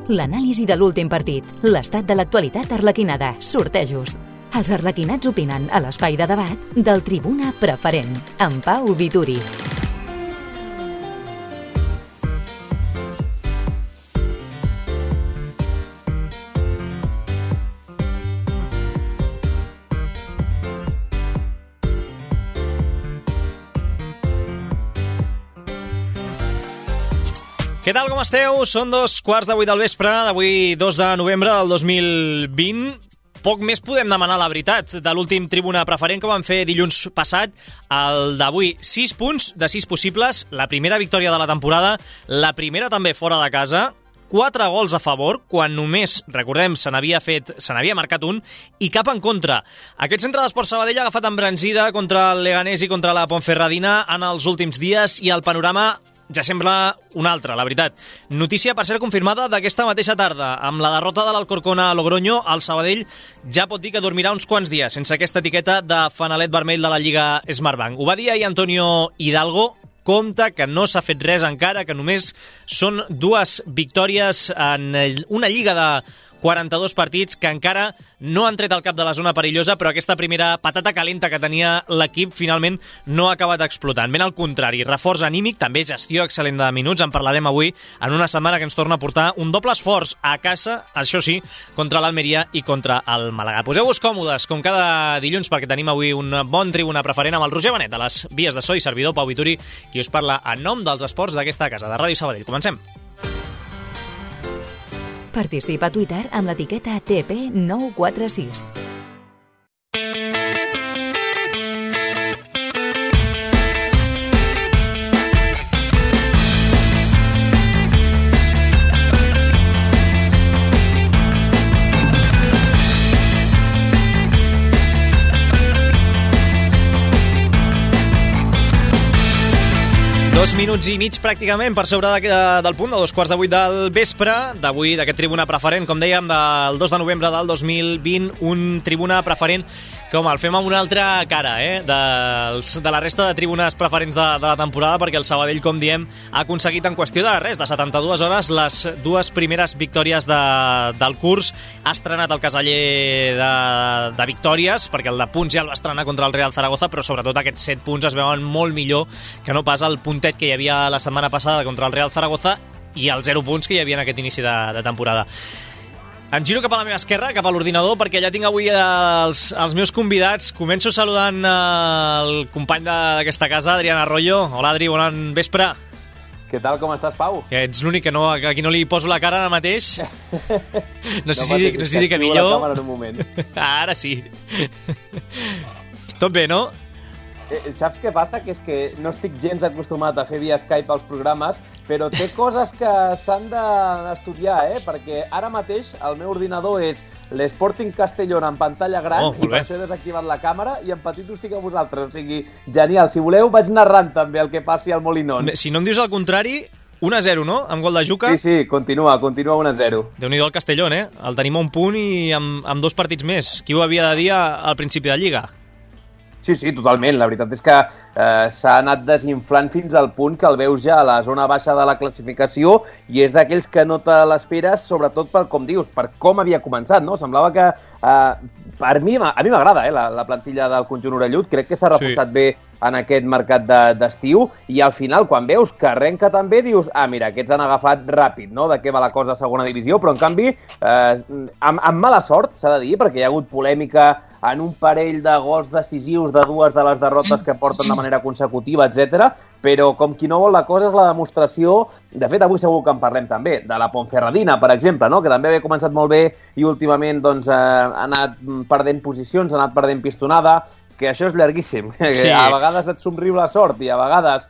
L'anàlisi de l'últim partit, l'estat de l'actualitat arlequinada, sortejos. Els arlequinats opinen a l'espai de debat del Tribuna Preferent, amb Pau Vituri. Què tal, com esteu? Són 2:15 del vespre, d'avui 2 de novembre del 2020. Poc més podem demanar la veritat de l'últim Tribuna Preferent que vam fer dilluns passat. El d'avui, 6 punts de 6 possibles, la primera victòria de la temporada, la primera també fora de casa, 4 gols a favor, quan només, recordem, se n'havia marcat un, i cap en contra. Aquest centre d'Esport Sabadell ha agafat embranzida contra el Leganés i contra la Ponferradina en els últims dies i el panorama ja sembla un altre, la veritat. Notícia, per ser confirmada, d'aquesta mateixa tarda. Amb la derrota de l'Alcorcón a Logroño, el Sabadell ja pot dir que dormirà uns quants dies sense aquesta etiqueta de fanalet vermell de la Lliga Smartbank. Ho va dir ahir Antonio Hidalgo. Compte que no s'ha fet res encara, que només són 2 victòries en una lliga de 42 partits que encara no han tret el cap de la zona perillosa, però aquesta primera patata calenta que tenia l'equip finalment no ha acabat explotant. Ben al contrari, reforç anímic, també gestió excel·lent de minuts, en parlarem avui en una setmana que ens torna a portar un doble esforç a casa, això sí, contra l'Almeria i contra el Màlaga. Poseu-vos còmodes, com cada dilluns, perquè tenim avui un bon Tribuna Preferent amb el Roger Benet, a les vies de so i servidor Pau Vituri, qui us parla en nom dels esports d'aquesta casa, de Ràdio Sabadell. Comencem. Participa a Twitter amb l'etiqueta TP946. 2 minuts i mig pràcticament per sobre del punt, de 2:15 del vespre, d'avui, d'aquest Tribuna Preferent, com dèiem, del 2 de novembre del 2020, un Tribuna Preferent que, home, el fem amb una altra cara, de la resta de tribunes preferents de la temporada, perquè el Sabadell, com diem, ha aconseguit en qüestió de res, de 72 hores, les 2 primeres victòries del curs. Ha estrenat el caseller de victòries, perquè el de punts ja el va estrenar contra el Real Zaragoza, però sobretot aquests 7 punts es veuen molt millor que no pas el puntet que hi havia la setmana passada contra el Real Zaragoza i els 0 punts que hi havia en aquest inici de temporada. Em giro cap a la meva esquerra, cap a l'ordinador, perquè ja tinc avui els meus convidats. Començo saludant el company d'aquesta casa, Adrián Arroyo. Hola, Adri, bon vespre. Què tal, com estàs, Pau? Que ets l'únic que a qui no li poso la cara ara mateix. No sé si dic que millor. La càmera en un moment. Ara sí. Tot bé, no? Saps què passa? Que és que no estic gens acostumat a fer via Skype als programes, però té coses que s'han d'estudiar, perquè ara mateix el meu ordinador és l'Sporting Castellón en pantalla gran i per això he desactivat la càmera i en petit ho estic a vosaltres. O sigui, genial. Si voleu, vaig narrant també el que passi al Molinón. Si no em dius el contrari, 1-0, no? Amb gol de Juca. Sí, continua 1-0. Déu-n'hi-do el Castellón, El tenim a un punt i amb 2 partits més. Qui ho havia de dir al principi de Lliga? Sí, totalment. La veritat és que s'ha anat desinflant fins al punt que el veus ja a la zona baixa de la classificació i és d'aquells que no te l'esperes, sobretot per, com dius, per com havia començat, no? Semblava que a mi m'agrada la plantilla del conjunt orellut. Crec que s'ha reforçat bé en aquest mercat d'estiu i al final, quan veus que arrenca també, dius, mira, aquests han agafat ràpid, no?, de què va la cosa a segona divisió, però en canvi, amb mala sort, s'ha de dir, perquè hi ha hagut polèmica en un parell de gols decisius de 2 de les derrotes que porten de manera consecutiva, etc. Però com qui no vol la cosa és la demostració, de fet avui segur que en parlem també, de la Ponferradina, per exemple, no?, que també havia començat molt bé i últimament doncs, ha anat perdent posicions, ha anat perdent pistonada, que això és llarguíssim. Sí. A vegades et somriu la sort i a vegades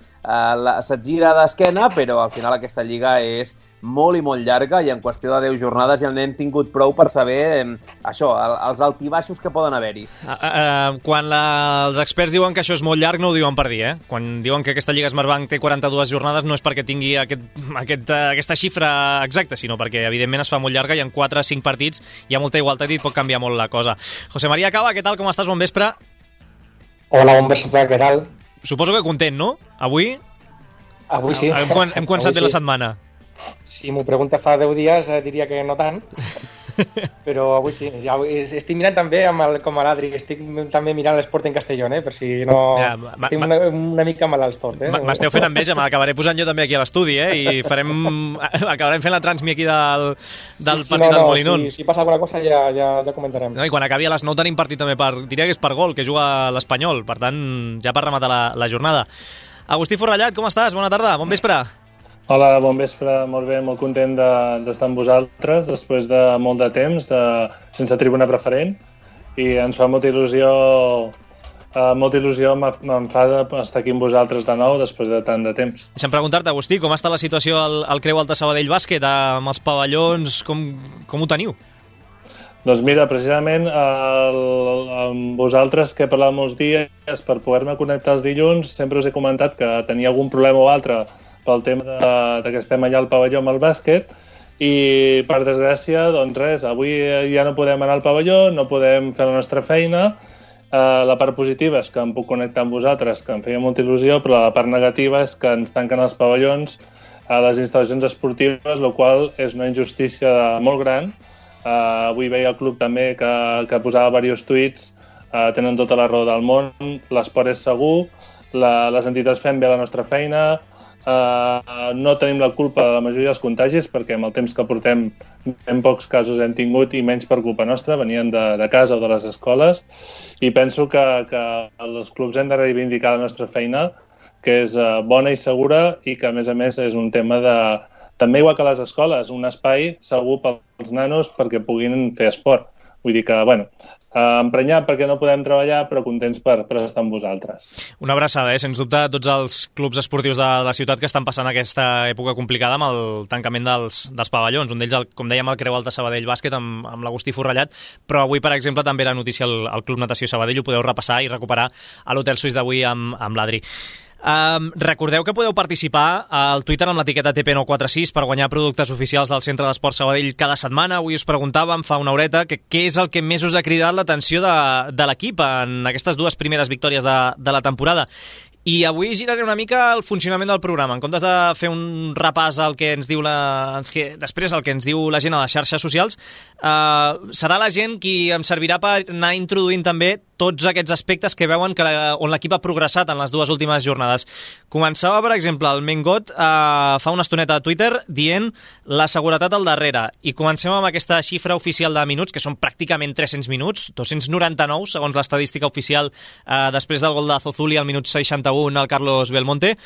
se't gira d'esquena, però al final aquesta lliga és molt i molt llarga i en qüestió de 10 jornades ja n'hem tingut prou per saber això, els altibaixos que poden haver-hi. Quan els experts diuen que això és molt llarg no ho diuen per dir, Quan diuen que aquesta Lliga Smartbank té 42 jornades no és perquè tingui aquesta xifra exacta, sinó perquè evidentment es fa molt llarga i en 4 o 5 partits hi ha molta igualtat i pot canviar molt la cosa. José María Cava, què tal, com estàs? Bon vespre. Hola, bon vespre, què tal? Suposo que content, no? Avui sí. Hem començat bé la setmana. Si m'ho pregunta fa 10 dies diria que no tant, però avui sí. Ja estic mirant també com a l'Adri, estic també mirant l'Sporting Castellón, per si no... Estic una mica malalts tot. M'esteu fent enveja, me l'acabaré posant jo també aquí a l'estudi, i acabarem fent la transmi aquí del partit del Molinón. Si passa alguna cosa ja comentarem. No, i quan acabi a les 9 tenim partit també diria que és per gol, que juga l'Espanyol, per tant, ja per rematar la jornada. Agustí Forrellat, com estàs? Bona tarda, bon vespre. Hola, bon vespre, molt bé, molt content d'estar amb vosaltres després de molt de temps, sense tribuna preferent, i ens fa molta il·lusió, m'enfada estar aquí amb vosaltres de nou després de tant de temps. Deixa'm preguntar-te, Agustí, com està la situació al Creu Alta Sabadell Bàsquet, amb els pavellons, com ho teniu? Doncs mira, precisament amb vosaltres, que he parlat molts dies, per poder-me connectar els dilluns, sempre us he comentat que tenia algun problema o altre pel tema que estem allà al pavelló amb el bàsquet, i per desgràcia, doncs res, avui ja no podem anar al pavelló, no podem fer la nostra feina. La part positiva és que em puc connectar amb vosaltres, que em feia molta il·lusió, però la part negativa és que ens tanquen els pavellons a les instal·lacions esportives, el qual és una injustícia molt gran. Avui veia el club també que posava diversos tuits, tenen tota la raó del món, l'esport és segur, les entitats fem bé la nostra feina, no tenim la culpa de la majoria dels contagis, perquè amb el temps que portem ben pocs casos hem tingut, i menys per culpa nostra, venien de casa o de les escoles, i penso que els clubs hem de reivindicar la nostra feina, que és bona i segura, i que a més és un tema també igual que les escoles, un espai segur pels nanos perquè puguin fer esport. Vull dir que, emprenyat perquè no podem treballar, però contents per estar amb vosaltres. Una abraçada, sens dubte, a tots els clubs esportius de la ciutat que estan passant aquesta època complicada amb el tancament dels pavellons. Un d'ells, com dèiem, el Creu Alta Sabadell Bàsquet amb l'Agustí Forrellat, però avui, per exemple, també era notícia el Club Natació Sabadell, ho podeu repassar i recuperar a l'Hotel Suís d'avui amb l'Adri. Recordeu que podeu participar al Twitter amb l'etiqueta TP946 per guanyar productes oficials del Centre d'Esport Sabadell cada setmana. Avui us preguntàvem fa una horeta què és el que més us ha cridat l'atenció de l'equip en aquestes dues primeres victòries de la temporada. I avui giraré una mica el funcionament del programa. En comptes de fer un repàs al que ens diu després el que ens diu la gent a les xarxes socials, serà la gent qui em servirà per anar introduint també tots aquests aspectes que veuen on l'equip ha progressat en les dues últimes jornades. Començava, per exemple, el Mengot fa una estoneta a Twitter dient la seguretat al darrere, i comencem amb aquesta xifra oficial de minuts, que són pràcticament 300 minuts, 299 segons l'estadística oficial, després del gol de Zozuli al minut 61 al Carlos Belmonte.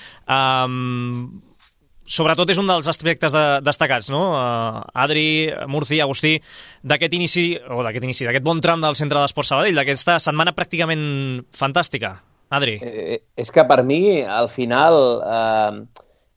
Sobretot és un dels aspectes destacats, no? Adri, Murci, Agustí, d'aquest bon tram del Centre d'Esport Sabadell, d'aquesta setmana pràcticament fantàstica. Adri. És que per mi, al final,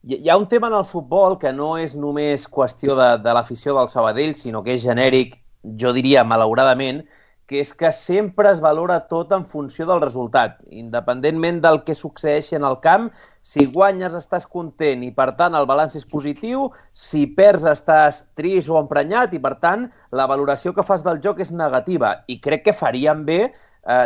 hi ha un tema en el futbol que no és només qüestió de l'afició del Sabadell, sinó que és genèric, jo diria, malauradament, que és que sempre es valora tot en funció del resultat. Independentment del que succeeixi en el camp, si guanyes estàs content i, per tant, el balanç és positiu, si perds estàs trist o emprenyat i, per tant, la valoració que fas del joc és negativa. I crec que faríem bé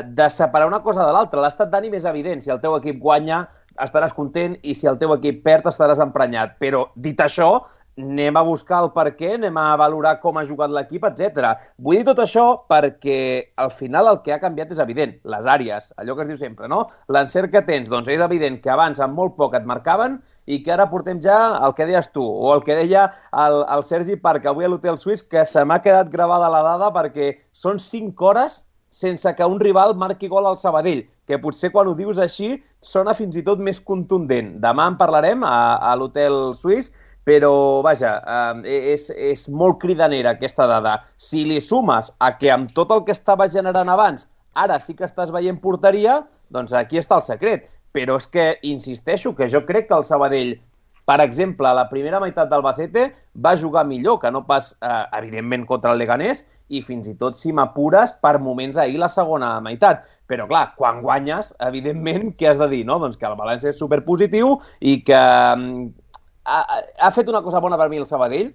de separar una cosa de l'altra. L'estat d'ànim és evident. Si el teu equip guanya, estaràs content, i si el teu equip perd, estaràs emprenyat. Però, dit això, anem a buscar el per què, anem a valorar com ha jugat l'equip, etc. Vull dir tot això perquè al final el que ha canviat és evident, les àrees, allò que es diu sempre, no? L'encert que tens, doncs és evident que abans amb molt poc et marcaven i que ara portem ja el que deies tu, o el que deia el Sergi Parc avui a l'Hotel Suís, que se m'ha quedat gravada la dada perquè són 5 hores sense que un rival marqui gol al Sabadell, que potser quan ho dius així sona fins i tot més contundent. Demà en parlarem a l'Hotel Suís, però, vaja, és molt cridanera aquesta dada. Si li sumes a que amb tot el que estava generant abans, ara sí que estàs veient porteria, doncs aquí està el secret. Però és que, insisteixo, que jo crec que el Sabadell, per exemple, a la primera meitat d'Albacete va jugar millor que no pas, evidentment, contra el Leganés, i fins i tot, si m'apures, per moments ahir la segona meitat. Però, clar, quan guanyes, evidentment, què has de dir, no? Doncs que el balanç és superpositiu i que ha fet una cosa bona per mi el Sabadell,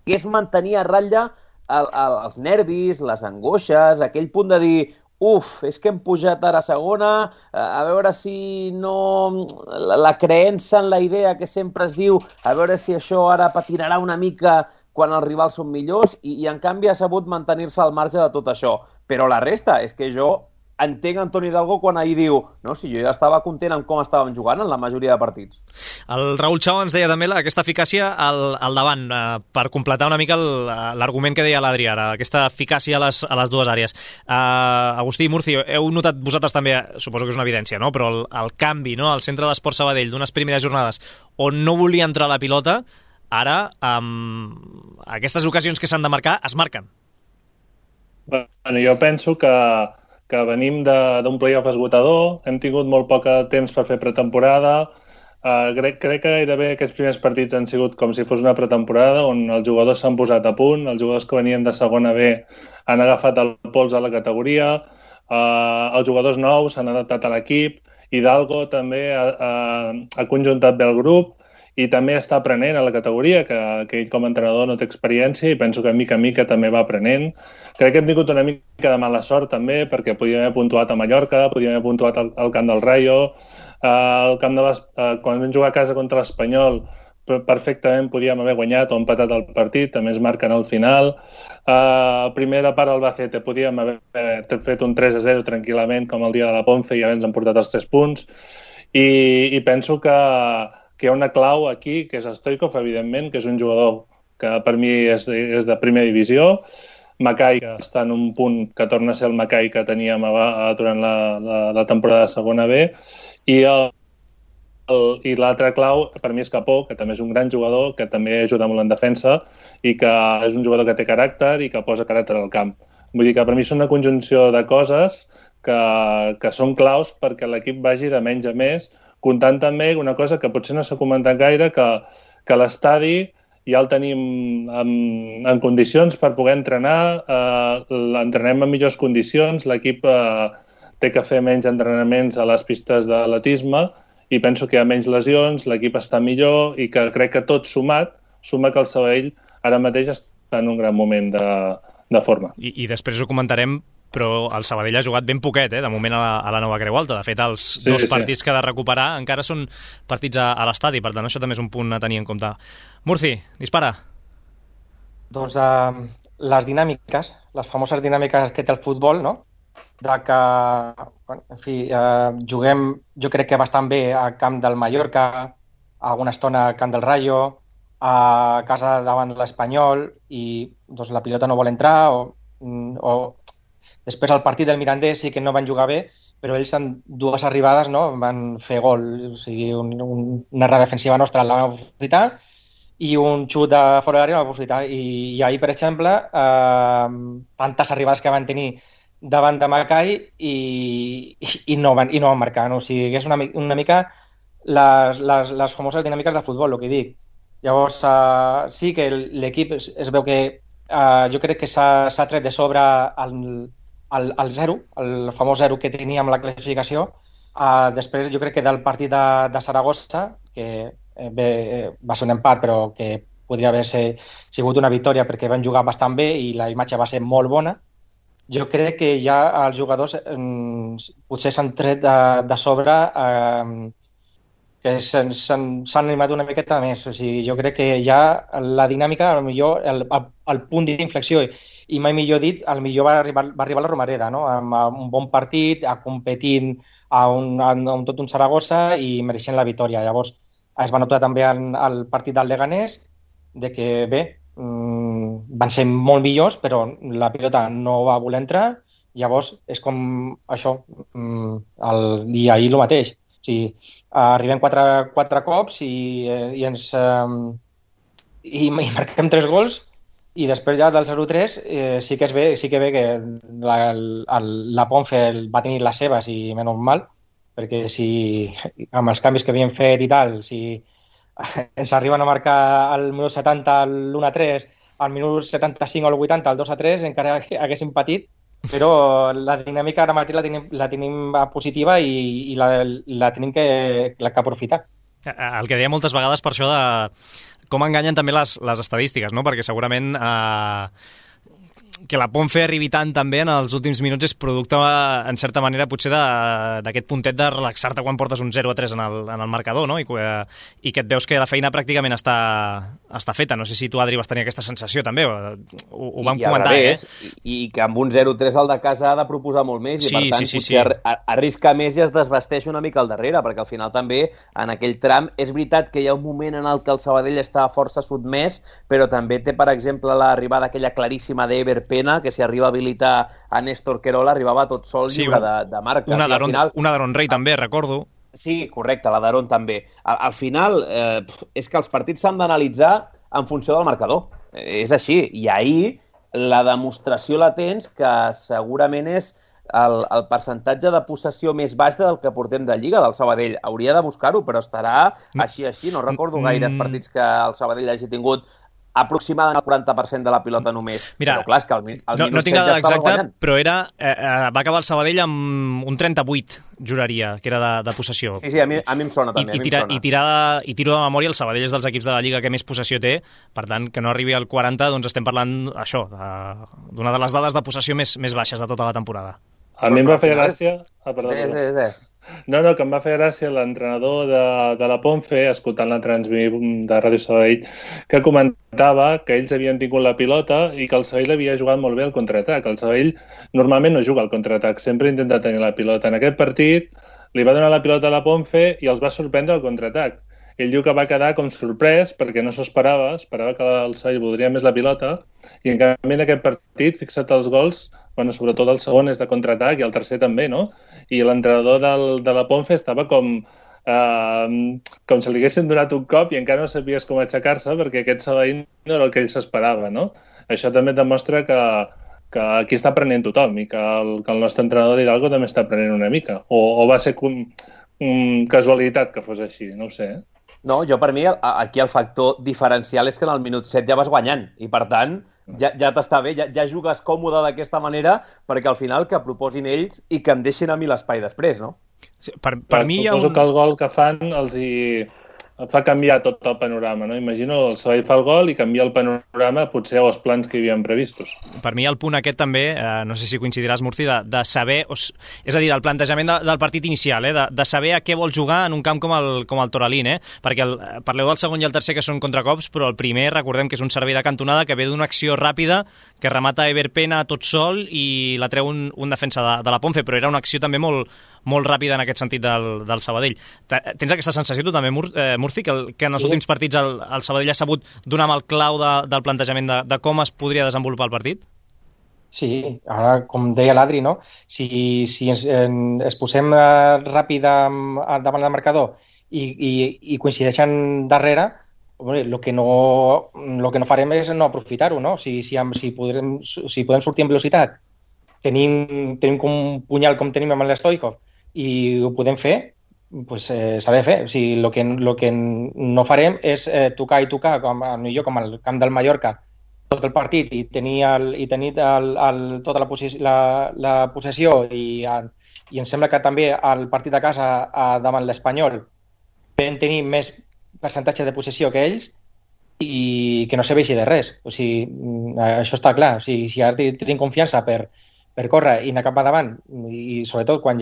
que és mantenir a ratlla els nervis, les angoixes, aquell punt de dir és que hem pujat ara a segona, a veure si no... La creença en la idea que sempre es diu, a veure si això ara patinarà una mica quan els rivals són millors, i en canvi ha sabut mantenir-se al marge de tot això. Però la resta és que jo entenc Antoni Hidalgo quan ahir diu si jo ja estava content amb com estàvem jugant en la majoria de partits. El Raül Chao ens deia també aquesta eficàcia al davant, per completar una mica l'argument que deia l'Adri ara, aquesta eficàcia a les dues àrees. Agustí i Murci, heu notat vosaltres també, suposo que és una evidència, no? Però el canvi, no? Al centre d'Esport Sabadell d'unes primeres jornades on no volia entrar la pilota, ara amb aquestes ocasions que s'han de marcar es marquen. Bueno, jo penso que venim d'un playoff esgotador, hem tingut molt poc temps per fer pretemporada, crec que gairebé aquests primers partits han sigut com si fos una pretemporada on els jugadors s'han posat a punt, els jugadors que venien de segona B han agafat el pols a la categoria, els jugadors nous s'han adaptat a l'equip, Hidalgo també ha conjuntat bé el grup i també està aprenent a la categoria, que ell com a entrenador no té experiència i penso que mica en mica també va aprenent. Crec que hem tingut una mica de mala sort també, perquè podíem haver puntuat a Mallorca, podíem haver puntuat al camp del Rayo, quan vam jugar a casa contra l'Espanyol perfectament podíem haver guanyat o empatat el partit, també es marquen al final. Primera part del Albacete podíem haver fet un 3-0 tranquil·lament com el dia de la Ponce i ja ens han portat els 3 punts i penso que hi ha una clau aquí, que és Stoichkov, evidentment, que és un jugador que per mi és de primera divisió. Mackay, que està en un punt que torna a ser el Mackay que teníem durant la temporada de segona B. I l'altre clau, per mi, és Capó, que també és un gran jugador, que també ajuda molt en defensa i que és un jugador que té caràcter i que posa caràcter al camp. Vull dir que per mi són una conjunció de coses que són claus perquè l'equip vagi de menys a més, comptant també una cosa que potser no s'ha comentat gaire, que l'estadi ja el tenim en condicions per poder entrenar, l'entrenem en millors condicions, l'equip té que fer menys entrenaments a les pistes d'atletisme i penso que hi ha menys lesions, l'equip està millor i que crec que tot suma que el Sabadell ara mateix està en un gran moment de forma. I després ho comentarem, però el Sabadell ha jugat ben poquet, de moment a la Nova Creu Alta. De fet, els dos partits que ha de recuperar encara són partits a l'estadi, per tant, això també és un punt a tenir en compte. Murci, dispara. Doncs les dinàmiques, les famoses dinàmiques que té el futbol, no? De que, en fi, juguem, jo crec que bastant bé al camp del Mallorca, alguna estona al camp del Rayo, a casa davant l'Espanyol i doncs, la pilota no vol entrar o després al partit del Mirandés sí que no van jugar bé, però ells en dues arribades no, van fer gol, o sigui, una errada defensiva nostra la van aprofitar i un xut de fora d'àrea la van aprofitar. I ahir, per exemple, tantes arribades que van tenir davant de Mackay i no van marcar. No? O sigui, és una mica les famoses dinàmiques de futbol, el que dic. Llavors, sí que l'equip es veu que jo crec que s'ha tret de sobre el zero, el famós zero que teníem la classificació. Després jo crec que del partit de Saragossa, que va ser un empat però que podria haver sigut una victòria perquè van jugar bastant bé i la imatge va ser molt bona, jo crec que ja els jugadors potser s'han tret de sobre que s'han animat una miqueta més. O sigui, jo crec que ja la dinàmica, potser el punt d'inflexió, i mai millor dit, potser va arribar la Romareda, no? Amb un bon partit, competint amb tot un Saragossa i mereixent la victòria. Llavors, es va notar també al partit del Leganés de que, bé, van ser molt millors, però la pilota no va voler entrar. Llavors, és com això, i ahir el mateix. O sigui, arribem quatre cops i marquem 3 gols i després ja del 0-3 sí que ve que la Ponce va tenir les seves i menys mal, perquè si amb els canvis que havíem fet i tal, si ens arriben a marcar al minut 70 l'1-3, al minut 75 o al 80 el 2-3 encara haguéssim patit. Però la dinàmica ara mateix la tenim positiva i la tenim que aprofitar. El que deia moltes vegades per això de com enganyen també les estadístiques, no? Perquè segurament que la Ponfe arribi tant també en els últims minuts és producte, en certa manera, potser d'aquest puntet de relaxar-te quan portes un 0-3 en el marcador, no? I que et veus que la feina pràcticament està feta. No sé si tu, Adri, vas tenir aquesta sensació també, ho vam comentar, I que amb un 0-3 el de casa ha de proposar molt més i per tant potser arrisca més i es desvesteix una mica al darrere, perquè al final també en aquell tram és veritat que hi ha un moment en el que el Sabadell està força sotmès, però també té, per exemple, l'arribada aquella claríssima d'Ever Pena, que si arriba a habilitar a Néstor Querola, arribava tot sol lliure de marca. Una d'Aaron Rey també, recordo. Sí, correcte, la d'Aaron també. Al final, és que els partits s'han d'analitzar en funció del marcador. És així. I ahir la demostració la tens que segurament és el percentatge de possessió més baix del que portem de Lliga del Sabadell. Hauria de buscar-ho, però estarà així. No recordo gaires partits que el Sabadell hagi tingut aproximadament el 40% de la pilota només. Mira, però clar, és que al minut no tinc dada exacta, guanyant. Però va acabar el Sabadell amb un 38, juraria, que era de possessió. Sí, a mi em sona també. I tiro de memòria, el Sabadell és dels equips de la Lliga que més possessió té, per tant, que no arribi al 40, doncs estem parlant això, d'una de les dades de possessió més baixes de tota la temporada. A mi em va fer gràcia... No, que em va fer gràcia l'entrenador de la Ponfe, escoltant la transmissió de Ràdio Sabadell, que comentava que ells havien tingut la pilota i que el Sabadell havia jugat molt bé al contraatac. El Sabadell normalment no juga al contraatac, sempre intenta tenir la pilota. En aquest partit li va donar la pilota a la Ponfe i els va sorprendre al contraatac. Ell diu que va quedar com sorprès perquè no s'ho esperava que el Sabadell voldria més la pilota i en canvi en aquest partit, fixa't els gols, sobretot el segon és de contraatac i el tercer també, no? I l'entrenador de la Ponfe estava com si li haguessin donat un cop i encara no sabies com aixecar-se perquè aquest Sabadell no era el que ell s'esperava, no? Això també demostra que aquí està aprenent tothom i que el nostre entrenador d'Hidalgo també està aprenent una mica. O va ser casualitat que fos així, no ho sé, No, per mi aquí el factor diferencial és que en el minut 7 ja vas guanyant i per tant ja t'està bé, ja jugues còmode d'aquesta manera perquè al final que proposin ells i que em deixin a mi l'espai després, no? Sí, per mi hi ha suposo que el gol que fan els fa canviar tot el panorama, no? Imagino el Sabadell fa el gol i canvia el panorama potser als plans que hi havien previstos. Per mi el punt aquest també, no sé si coincidiràs, Murci, de saber, és a dir, el plantejament del partit inicial, de saber a què vol jugar en un camp com el Toralín, perquè parleu del segon i el tercer que són contracops, però el primer recordem que és un servei de cantonada que ve d'una acció ràpida que remata Ever Pena tot sol i la treu un defensa de la Ponfe, però era una acció també molt ràpida en aquest sentit del Sabadell. Tens aquesta sensació tu també, Murci, que en els últims partits el Sabadell ha sabut donar amb el clau del plantejament de com es podria desenvolupar el partit? Sí, ara, com deia l'Adri, no? Si es posem ràpid davant del marcador i coincideixen darrere, el que no farem és no aprofitar-ho, no? Si podem sortir en velocitat, tenim com un punyal com tenim amb l'Stoikov i ho podem fer, pues s'ha de fer. O sigui, el que no farem és tocar, com al camp del Mallorca, tot el partit i tenir tota la possessió i em sembla que també el partit de casa davant l'Espanyol vam tenir més percentatge de possessió que ells i que no serveixi de res. O sigui, això està clar. O sigui, si ara tenim confiança per córrer i anar cap endavant i sobretot quan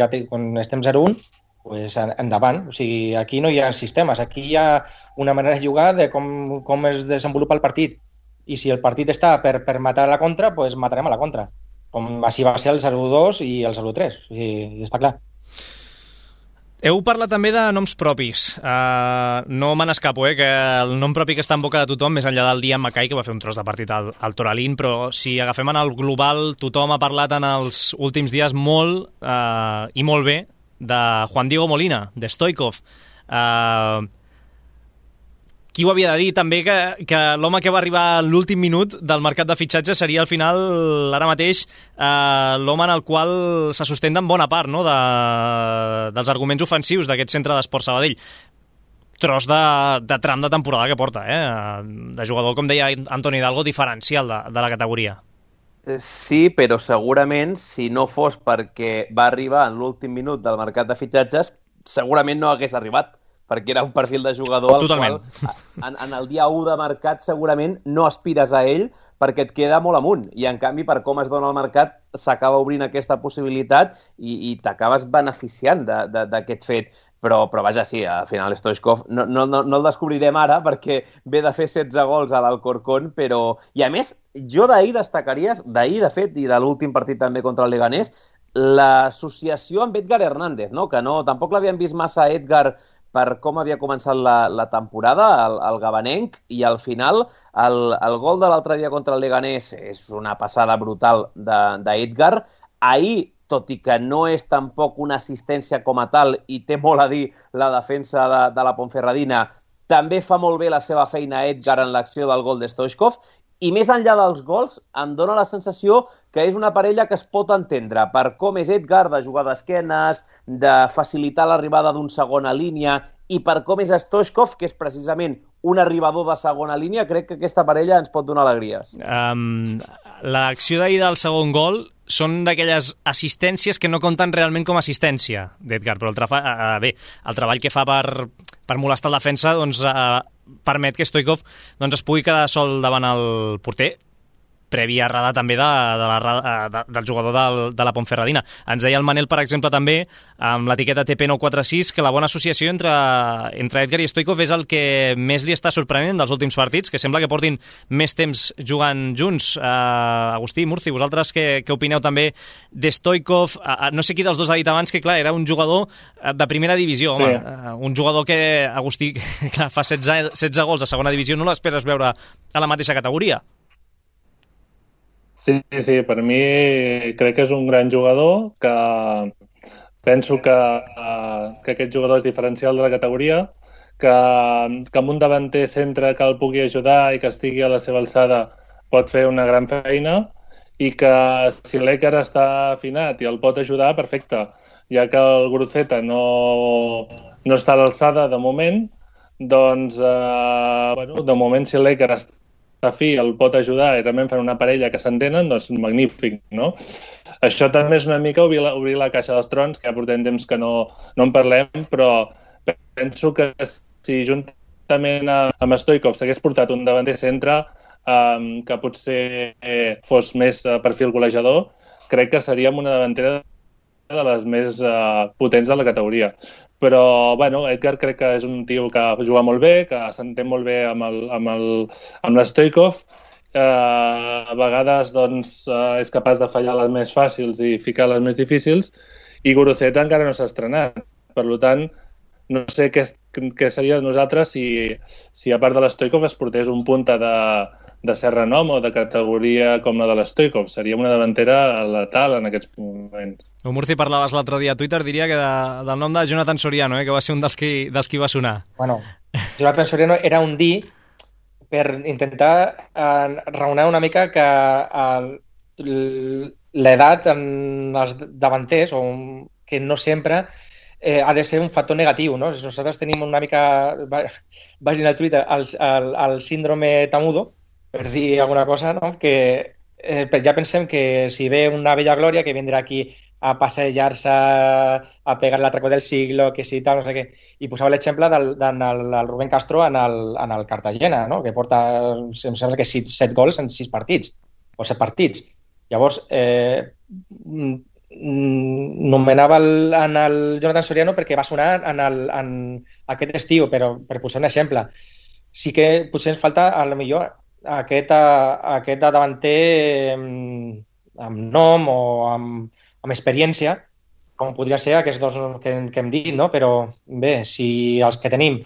estem 0-1, pues endavant. O sigui, aquí no hi ha sistemes, aquí hi ha una manera de jugar de com es desenvolupa el partit. I si el partit està per matar a la contra, pues matarem a la contra. Com així va ser el 0-2 i el 0-3. O sigui, està clar. Heu parlat també de noms propis. No me n'escapo, que el nom propi que està en boca de tothom, més enllà del Dian Mackay, que va fer un tros de partit al Toralín, però si agafem en el global, tothom ha parlat en els últims dies molt i molt bé de Juan Diego Molina, de Stoikov. Qui ho havia de dir també que l'home que va arribar a l'últim minut del mercat de fitxatge seria al final, ara mateix, l'home en el qual se sustenten bona part, no?, dels arguments ofensius d'aquest centre d'Esport Sabadell. Tros de tram de temporada que porta, de jugador, com deia Antoni Hidalgo, diferencial de la categoria. Sí, però segurament, si no fos perquè va arribar en l'últim minut del mercat de fitxatges, segurament no hagués arribat, perquè era un perfil de jugador al qual en el dia 1 de mercat segurament no aspires a ell perquè et queda molt amunt, i en canvi per com es dona el mercat s'acaba obrint aquesta possibilitat i t'acabes beneficiant d'aquest fet. Però vaja, sí, al final Stoichkov no el descobrirem ara perquè ve de fer 16 gols a l'Alcorcón, però... I a més, jo d'ahir destacaria, de fet, i de l'últim partit també contra el Leganés, l'associació amb Edgar Hernández, no? Que tampoc l'havíem vist massa a Edgar per com havia començat la temporada, el gabanenc, i al final el gol de l'altre dia contra el Leganés és una passada brutal d'Edgar. Ahir, tot i que no és tampoc una assistència com a tal i té molt a dir la defensa de la Ponferradina, també fa molt bé la seva feina Edgar en l'acció del gol de Stoichkov, i més enllà dels gols em dóna la sensació que és una parella que es pot entendre per com és Edgar, de jugar d'esquenes, de facilitar l'arribada d'un segona línia, i per com és Stoichkov, que és precisament un arribador de segona línia. Crec que aquesta parella ens pot donar alegries. L'acció d'ahir del segon gol són d'aquelles assistències que no compten realment com a assistència d'Edgar, però el treball que fa per molestar el defensa permet que Stoichkov es pugui quedar sol davant el porter, prèvia errada també del jugador de la Ponferradina. Ens deia el Manel, per exemple, també, amb l'etiqueta TP946, que la bona associació entre Edgar i Stoichkov és el que més li està sorprenent dels últims partits, que sembla que portin més temps jugant junts. Agustí, Murci, vosaltres què opineu també de Stoichkov? No sé qui dels dos ha dit abans que, clar, era un jugador de primera divisió, home. Sí. Un jugador que, Agustí, clar, fa 16 gols a segona divisió, no l'esperes veure a la mateixa categoria. Sí, per mi crec que és un gran jugador, que penso que aquest jugador és diferencial de la categoria, que amb un davanter centre que el pugui ajudar i que estigui a la seva alçada pot fer una gran feina, i que si l'Edgar està afinat i el pot ajudar, perfecte. Ja que el Guruceta no està a l'alçada de moment, doncs de moment si l'Edgar està fi el pot ajudar i realment fan una parella que s'entenen, doncs magnífic, no? Això també és una mica obrir la caixa dels trons, que ja portem temps que no en parlem, però penso que si juntament amb Stoichkov s'hagués portat un davanter centre que potser fos més perfil golejador, crec que seríem una davantera de les més potents de la categoria. Però, Edgar crec que és un tio que juga molt bé, que s'entén molt bé amb l'Stoichkov. A vegades, és capaç de fallar les més fàcils i ficar les més difícils. I Guruceta encara no s'ha estrenat. Per tant, no sé què seria de nosaltres si a part de l'Stoichkov es portés un punta de cert renom o de categoria com la de l'Stoichkov. Seria una davantera letal en aquests moments. Murci, parlaves l'altre dia a Twitter, diria que del nom de Jonathan Soriano, que va ser un dels qui va sonar. Bueno, Jonathan Soriano era un dir per intentar raonar una mica que l'edat en els davanters, que no sempre ha de ser un factor negatiu, no? Nosaltres tenim una mica, vagin al Twitter, el síndrome Tamudo, per dir alguna cosa, no? Que ja pensem que si ve una bella glòria que vindrà aquí a passejar-se, a pegar l'atracó del siglo, que si tal, no sé què. I posava l'exemple del Rubén Castro en el Cartagena, no? Que porta, em sembla que 7 gols en 6 partits, o 7 partits. Llavors, nomenava en el Jonathan Soriano perquè va sonar en aquest estiu, però per posar un exemple. Sí que potser ens falta, a lo millor, aquest davanter amb nom o amb experiència, com podria ser aquests dos que hem dit, no? Però bé, si els que tenim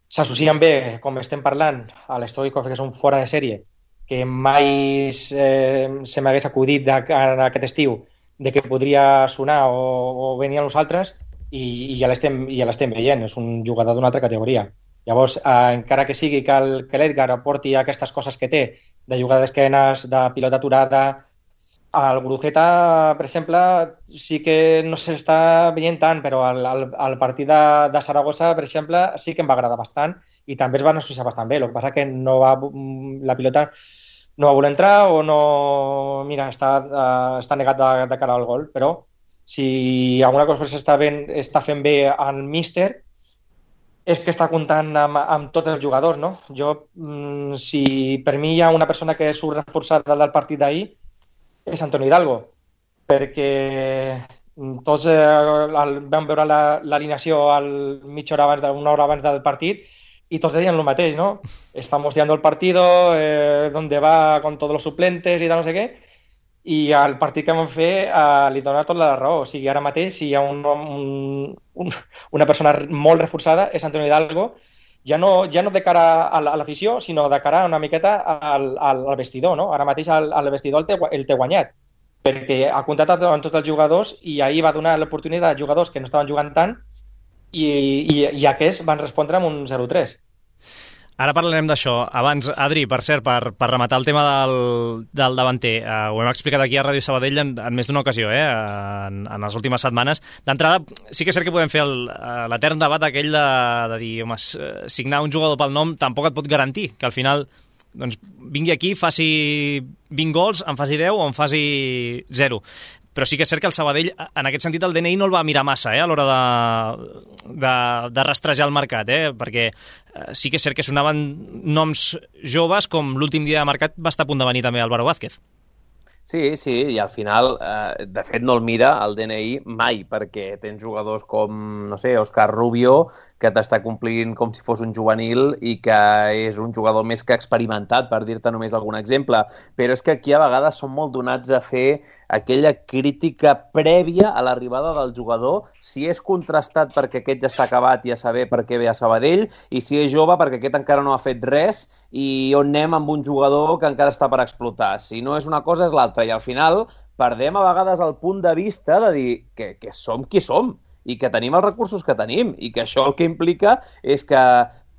s'associen bé, com estem parlant, a l'Stoichkov, que és un fora de sèrie, que mai se m'hagués acudit en aquest estiu de que podria sonar o venir a nosaltres, i ja l'estem veient, és un jugador d'una altra categoria. Llavors, encara que sigui que l'Edgar aporti aquestes coses que té, de jugar d'esquenes, de pilota aturada, el Guruceta, per exemple, sí que no s'està veient tant, però el partit de Saragossa, per exemple, sí que em va agradar bastant i també es van associar bastant bé. El que passa que la pilota no va voler entrar o no... Mira, està negat de cara al gol, però si alguna cosa s'està fent bé al míster, és que està comptant amb tots els jugadors, no? Si per mi hi ha una persona que surt reforçada del partit d'ahir, és Antonio Hidalgo, perquè tots vam veure l'alineació mitja hora abans, una hora abans del partit, y todos decían lo mateix, ¿no? Estamos odiando el partido, donde va con todos los suplentes y tal, no sé què, i al partit que vam fer li dona tota la raó. O sigui, ara mateix si hi ha una persona molt reforçada és Antonio Hidalgo, ja no de cara a l'afició, sinó de cara una miqueta al vestidor, no? Ara mateix al vestidor el té guanyat, perquè ha comptat amb tots els jugadors i ahir va donar l'oportunitat a jugadors que no estaven jugant tant i aquests van respondre amb un 0-3. Ara parlarem d'això. Abans, Adri, per cert, per rematar el tema del davanter, ho hem explicat aquí a Ràdio Sabadell en més d'una ocasió, en les últimes setmanes. D'entrada, sí que és cert que podem fer l'etern debat aquell de dir, home, signar un jugador pel nom tampoc et pot garantir que al final vingui aquí, faci 20 gols, en faci 10 o en faci 0. Però sí que és cert que el Sabadell, en aquest sentit, el DNI no el va mirar massa a l'hora de rastrejar el mercat, perquè sí que és cert que sonaven noms joves, com l'últim dia de mercat va estar a punt de venir també Álvaro Vázquez. Sí, i al final, de fet, no el mira el DNI mai, perquè tens jugadors com, no sé, Òscar Rubio, que t'està complint com si fos un juvenil i que és un jugador més que experimentat, per dir-te només algun exemple. Però és que aquí a vegades són molt donats a fer aquella crítica prèvia a l'arribada del jugador, si és contrastat perquè aquest ja està acabat i a saber per què ve a Sabadell, i si és jove perquè aquest encara no ha fet res i on anem amb un jugador que encara està per explotar. Si no és una cosa és l'altra, i al final perdem a vegades el punt de vista de dir que som qui som i que tenim els recursos que tenim i que això el que implica és que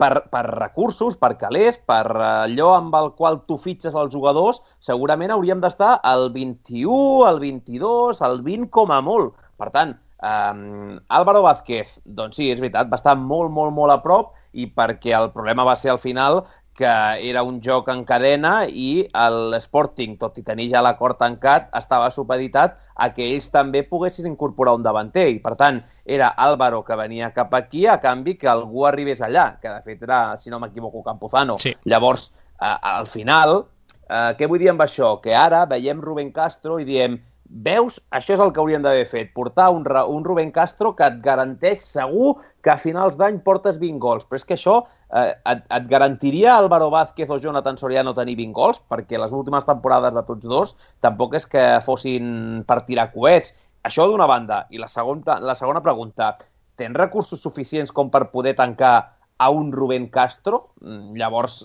per recursos, per calés, per allò amb el qual tu fitxes els jugadors, segurament hauríem d'estar al 21, al 22, al 20 com a molt. Per tant, Álvaro Vázquez, doncs sí, és veritat, va estar molt, molt, molt a prop i perquè el problema va ser al final que era un joc en cadena i l'Sporting, tot i tenir ja l'acord tancat, estava supeditat a que ells també poguessin incorporar un davanter. I, per tant, era Álvaro que venia cap aquí a canvi que algú arribés allà, que de fet era, si no m'equivoco, Campuzano. Sí. Llavors, al final, què vull dir amb això? Que ara veiem Rubén Castro i diem, veus, això és el que hauríem d'haver fet, portar un Rubén Castro que et garanteix segur que a finals d'any portes 20 gols. Però és que això et garantiria Álvaro Vázquez o Jonathan Soriano tenir 20 gols, perquè les últimes temporades de tots dos tampoc és que fossin per tirar coets. Això d'una banda. I la segona pregunta, tens recursos suficients com per poder tancar a un Rubén Castro? Llavors,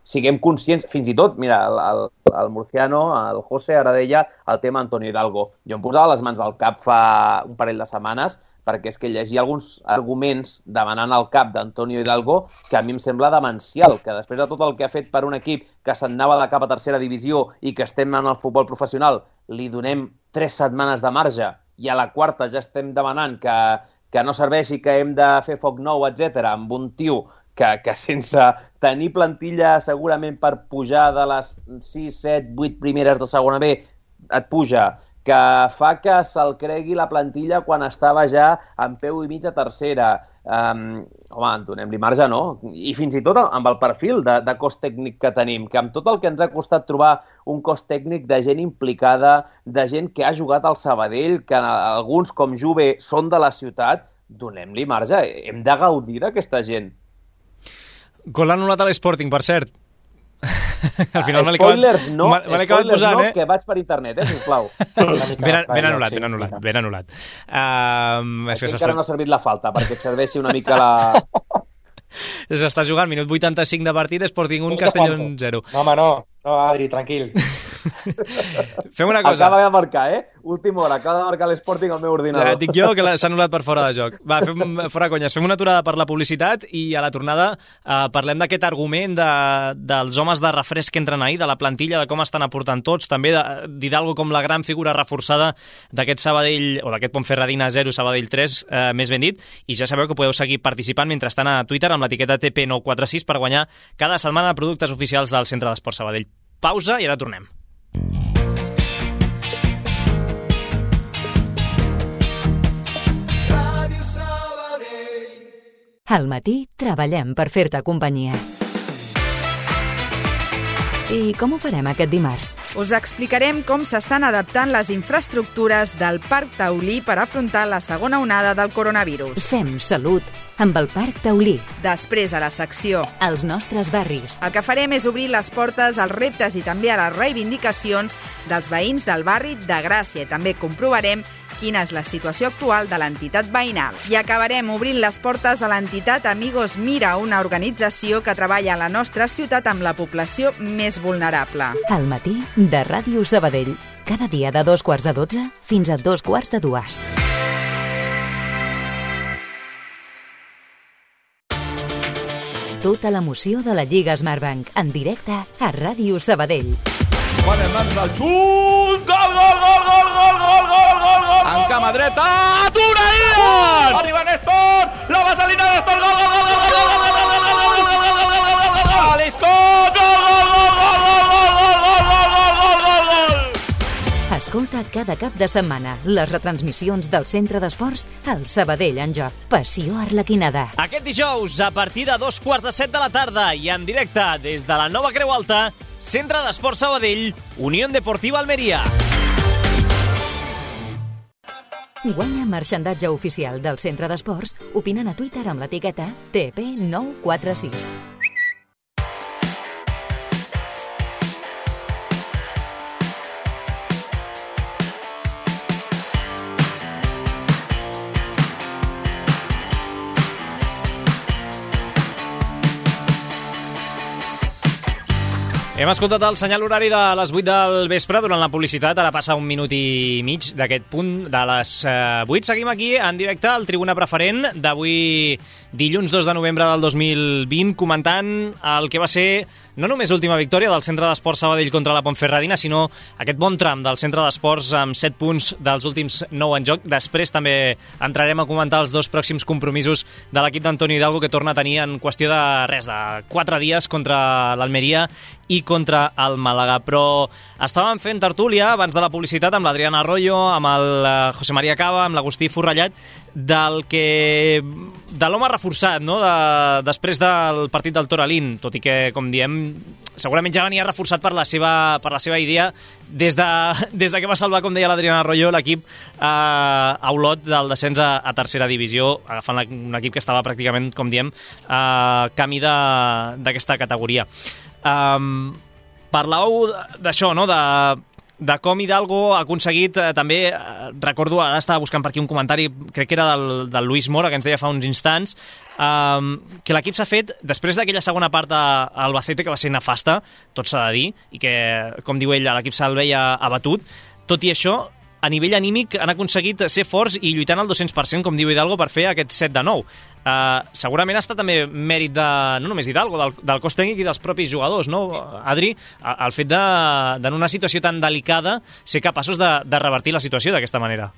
siguem conscients, fins i tot, mira, el murciano, el José, ara deia el tema Antonio Hidalgo. Jo em posava les mans al cap fa un parell de setmanes perquè és que llegia alguns arguments demanant el cap d'Antonio Hidalgo que a mi em sembla demencial, que després de tot el que ha fet per un equip que s'anava de cap a tercera divisió i que estem en el futbol professional, li donem 3 setmanes de marge i a la quarta ja estem demanant que no serveixi, que hem de fer foc nou, etc, amb un tio que sense tenir plantilla segurament per pujar de les 6, 7, 8 primeres de segona B et puja, que fa que se'l cregui la plantilla quan estava ja en peu i mig a tercera. Home, donem-li marge, no? I fins i tot amb el perfil de cos tècnic que tenim, que amb tot el que ens ha costat trobar un cos tècnic de gent implicada, de gent que ha jugat al Sabadell, que alguns com Juve són de la ciutat, donem-li marge. Hem de gaudir d'aquesta gent. Gol anul·lat a l'Sporting, per cert. Al final spoilers no, posant, que vaig per internet, sisplau. Ben anul·lat. Encara no ha servit la falta, perquè et serveixi una mica la... S'està jugant, minut 85 de partit, Sporting 1, Castellón 0. No, home, no, Adri, tranquil. Fem una cosa. Acaba de marcar, Última hora, acaba de marcar l'Sporting al meu ordinador. Dic jo que s'ha anul·lat per fora de joc. Va, fora conyes, fem una aturada per la publicitat i a la tornada parlem d'aquest argument dels homes de refresc que entren ahir, de la plantilla, de com estan aportant tots, també d'Hidalgo com la gran figura reforçada d'aquest Sabadell, o d'aquest Ponferradina 0, Sabadell 3, més ben dit, i ja sabeu que podeu seguir participant mentrestant a Twitter amb l'etiqueta TP946 per guanyar cada setmana productes oficials del Centre d'Esports Sabadell. Pausa i ara tornem. Al matí treballem per fer-te companyia. I com ho farem aquest dimarts? Us explicarem com s'estan adaptant les infraestructures del Parc Taulí per afrontar la segona onada del coronavirus. Fem salut amb el Parc Taulí. Després, a la secció Els nostres barris. El que farem és obrir les portes als reptes i també a les reivindicacions dels veïns del barri de Gràcia. I també comprovarem quina és la situació actual de l'entitat veïnal. I acabarem obrint les portes a l'entitat Amigos Mira, una organització que treballa a la nostra ciutat amb la població més vulnerable. Al matí de Ràdio Sabadell. Cada dia de 2:15 fins a 2:45. Tota l'emoció de la Lliga Smartbank en directe a Ràdio Sabadell. Ponen mans al xut, gol, gol, gol, gol, gol, gol, gol, gol, gol, en cama dreta, Turaïen! Arriba Néstor, la vaselina de Néstor, gol, gol, gol, gol, gol, gol, gol, gol, gol, gol, gol, gol, gol, Aliscot, gol, gol, gol, gol, gol, gol, gol, gol, gol, gol, gol. Escolta cada cap de setmana les retransmissions del Centre d'Esports al Sabadell en Joc. Passió Arlequinada. Aquest dijous, a partir de 2:15 de la tarda i en directe des de la nova Creu Alta, Centre d'Esports Sabadell, Unió Deportiva Almeria. Guanya marxandatge oficial del Centre d'Esports opinant a Twitter amb l'etiqueta TP946. Hem escoltat el senyal horari de les 8 del vespre durant la publicitat. Ara passa un minut i mig d'aquest punt de les 8. Seguim aquí en directe al Tribuna Preferent d'avui dilluns 2 de novembre del 2020 comentant el que va ser no només l'última victòria del Centre d'Esports Sabadell contra la Ponferradina, sinó aquest bon tram del Centre d'Esports amb 7 punts dels últims 9 en joc. Després també entrarem a comentar els dos pròxims compromisos de l'equip d'Antonio Hidalgo que torna a tenir en qüestió de 4 dies contra l'Almeria i contra el Màlaga. Però estàvem fent tertúlia abans de la publicitat amb l'Adriana Arroyo, amb el José María Cava, amb l'Agustí Forrellat, de l'home reforçat, no? Després del partit del Toralín, tot i que, com diem, segurament ja venia reforçat per la seva idea des de que va salvar, com deia l'Adriana Arroyo, l'equip a Olot del descens a tercera divisió, agafant un equip que estava pràcticament, com diem, camí d'aquesta categoria. Parlàveu d'això, no?, de com Hidalgo ha aconseguit, també, recordo, ara estava buscant per aquí un comentari, crec que era del Luis Mora, que ens deia fa uns instants, que l'equip s'ha fet, després d'aquella segona part a Albacete, que va ser nefasta, tot s'ha de dir, i que, com diu ell, l'equip se'l veia abatut. Tot i això, a nivell anímic han aconseguit ser forts i lluitant al 200%, com diu Hidalgo, per fer aquest 7-9. Segurament ha estat també mèrit no només d'Hidalgo, del cos tècnic i dels propis jugadors, no, Adri? El fet en una situació tan delicada ser capaços de revertir la situació d'aquesta manera.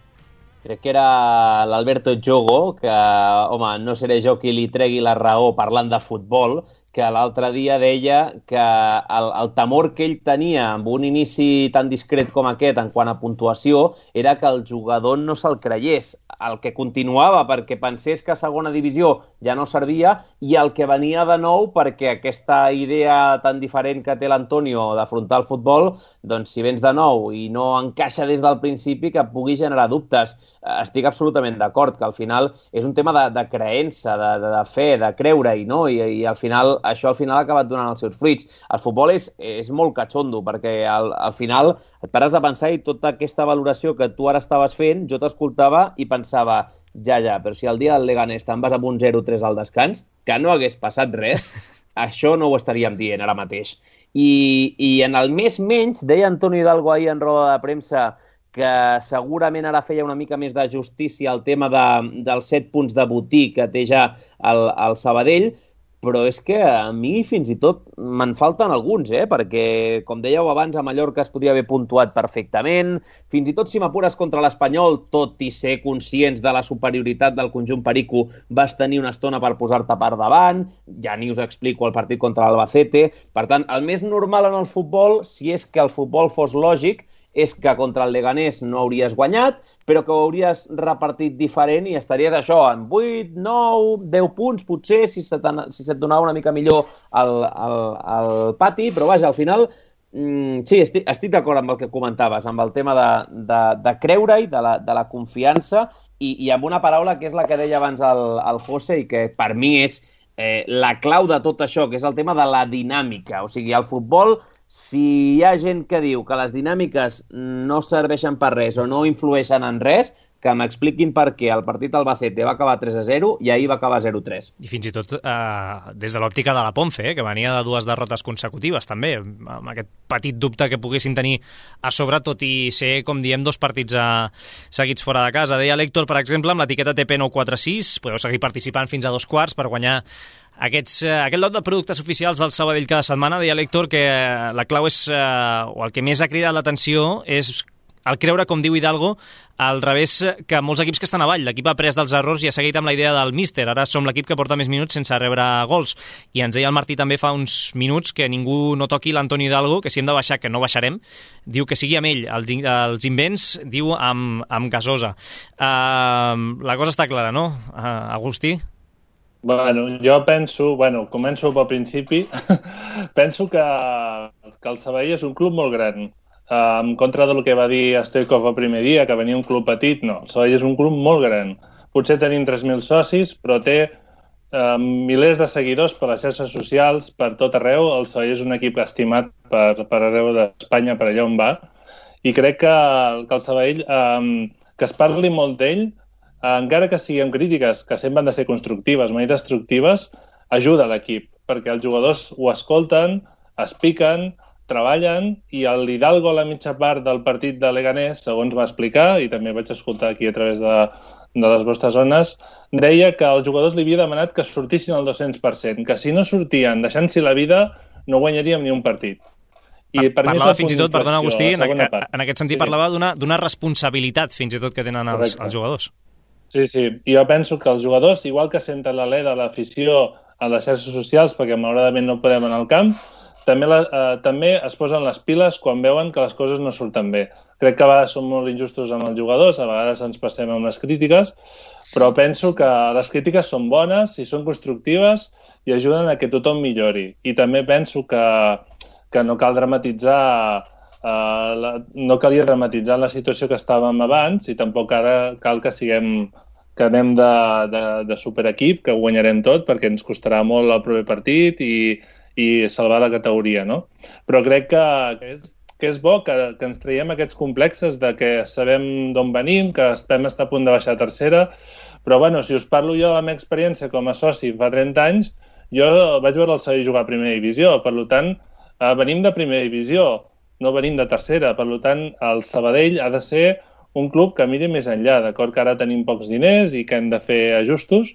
Crec que era l'Alberto Jogo, que, home, no seré jo qui li tregui la raó parlant de futbol, que l'altre dia deia que el temor que ell tenia amb un inici tan discret com aquest en quant a puntuació era que el jugador no se'l creiés, el que continuava perquè pensés que a segona divisió ja no servia i el que venia de nou perquè aquesta idea tan diferent que té l'Antonio d'afrontar el futbol, doncs si vens de nou i no encaixa des del principi, que pugui generar dubtes. Estic absolutament d'acord que al final és un tema de creença, de fe, de creure-hi, no? I al final això ha acabat donant els seus fruits. El futbol és molt catxondo perquè al final et pares a pensar i tota aquesta valoració que tu ara estaves fent, jo t'escoltava i pensava, ja, però si el dia del Leganés te'n vas amb un 0-3 al descans, que no hagués passat res, això no ho estaríem dient ara mateix. I en el més menys, deia Antonio Hidalgo ahir en roda de premsa que segurament ara feia una mica més de justícia al tema dels 7 punts de botí que té ja el Sabadell, però és que a mi fins i tot me'n falten alguns, perquè, com dèieu abans, a Mallorca es podria haver puntuat perfectament, fins i tot si m'apures contra l'Espanyol, tot i ser conscients de la superioritat del conjunt perico, vas tenir una estona per posar-te per davant, ja ni us explico el partit contra l'Albacete. Per tant, el més normal en el futbol, si és que el futbol fos lògic, és que contra el Leganés no hauries guanyat, però que ho hauries repartit diferent i estaries això, en 8, 9, 10 punts, potser, si se't donava una mica millor el pati, però vaja, al final, sí, estic d'acord amb el que comentaves, amb el tema de creure-hi, de la confiança, i amb una paraula que és la que deia abans el José i que per mi és la clau de tot això, que és el tema de la dinàmica. O sigui, al futbol, si hi ha gent que diu que les dinàmiques no serveixen per res o no influeixen en res, que m'expliquin per què el partit al Albacete va acabar 3-0 i ahir va acabar 0-3. I fins i tot des de l'òptica de la Ponce, que venia de 2 derrotes consecutives, també, amb aquest petit dubte que poguessin tenir a sobre, tot i ser, com diem, 2 partits seguits fora de casa. Deia l'Héctor, per exemple, amb l'etiqueta TP946, podeu seguir participant fins a 2 quarts per guanyar aquest lot de productes oficials del Sabadell cada setmana. Deia l'Héctor que la clau és, o el que més ha cridat l'atenció és el creure, com diu Hidalgo, al revés que molts equips que estan avall. L'equip ha après dels errors i ha seguit amb la idea del míster. Ara som l'equip que porta més minuts sense rebre gols. I ens deia el Martí també fa uns minuts que ningú no toqui l'Antoni Hidalgo, que si hem de baixar, que no baixarem, diu que sigui amb ell. Els invents, diu, amb Gasosa. La cosa està clara, no, Agustí? Bueno, jo penso, començo pel principi, penso que el Sabadell és un club molt gran. En contra del que va dir Stoikov el primer dia, que venia un club petit, no. El Sabadell és un club molt gran. Potser tenim 3.000 socis, però té milers de seguidors per les xarxes socials, per tot arreu. El Sabadell és un equip estimat per arreu d'Espanya, per allà on va. I crec que el Sabadell, que es parli molt d'ell, encara que siguin crítiques, que sempre han de ser constructives, mai destructives, ajuda l'equip, perquè els jugadors ho escolten, es piquen, treballen, i l'Hidalgo a la mitja part del partit de Leganés, segons va explicar, i també vaig escoltar aquí a través de les vostres zones, deia que els jugadors li havia demanat que sortissin al 200%, que si no sortien deixant-s'hi la vida no guanyaríem ni un partit. I parlava fins i tot, perdona Agustí, en aquest sentit parlava d'una responsabilitat fins i tot que tenen els jugadors. Sí, i jo penso que els jugadors, igual que senten l'alè de l'afició a les xarxes socials, perquè malauradament no podem anar al camp, també es posen les piles quan veuen que les coses no surten bé. Crec que a vegades som molt injustos amb els jugadors, a vegades ens passem amb les crítiques, però penso que les crítiques són bones i són constructives i ajuden a que tothom millori. I també penso que no cal dramatitzar, no calia dramatitzar la situació que estàvem abans, i tampoc ara cal que anem de superequip, que guanyarem tot, perquè ens costarà molt el proper partit i salvar la categoria, no? Però crec que és bo que ens traiem aquests complexes de que sabem d'on venim, que estem a punt de baixar a tercera, però bueno, si us parlo jo de la meva experiència com a soci fa 30 anys, jo vaig veure el Sabadell jugar a primera divisió, per tant, venim de primera divisió, no venim de tercera, per tant, el Sabadell ha de ser un club que miri més enllà, d'acord que ara tenim pocs diners i que hem de fer ajustos,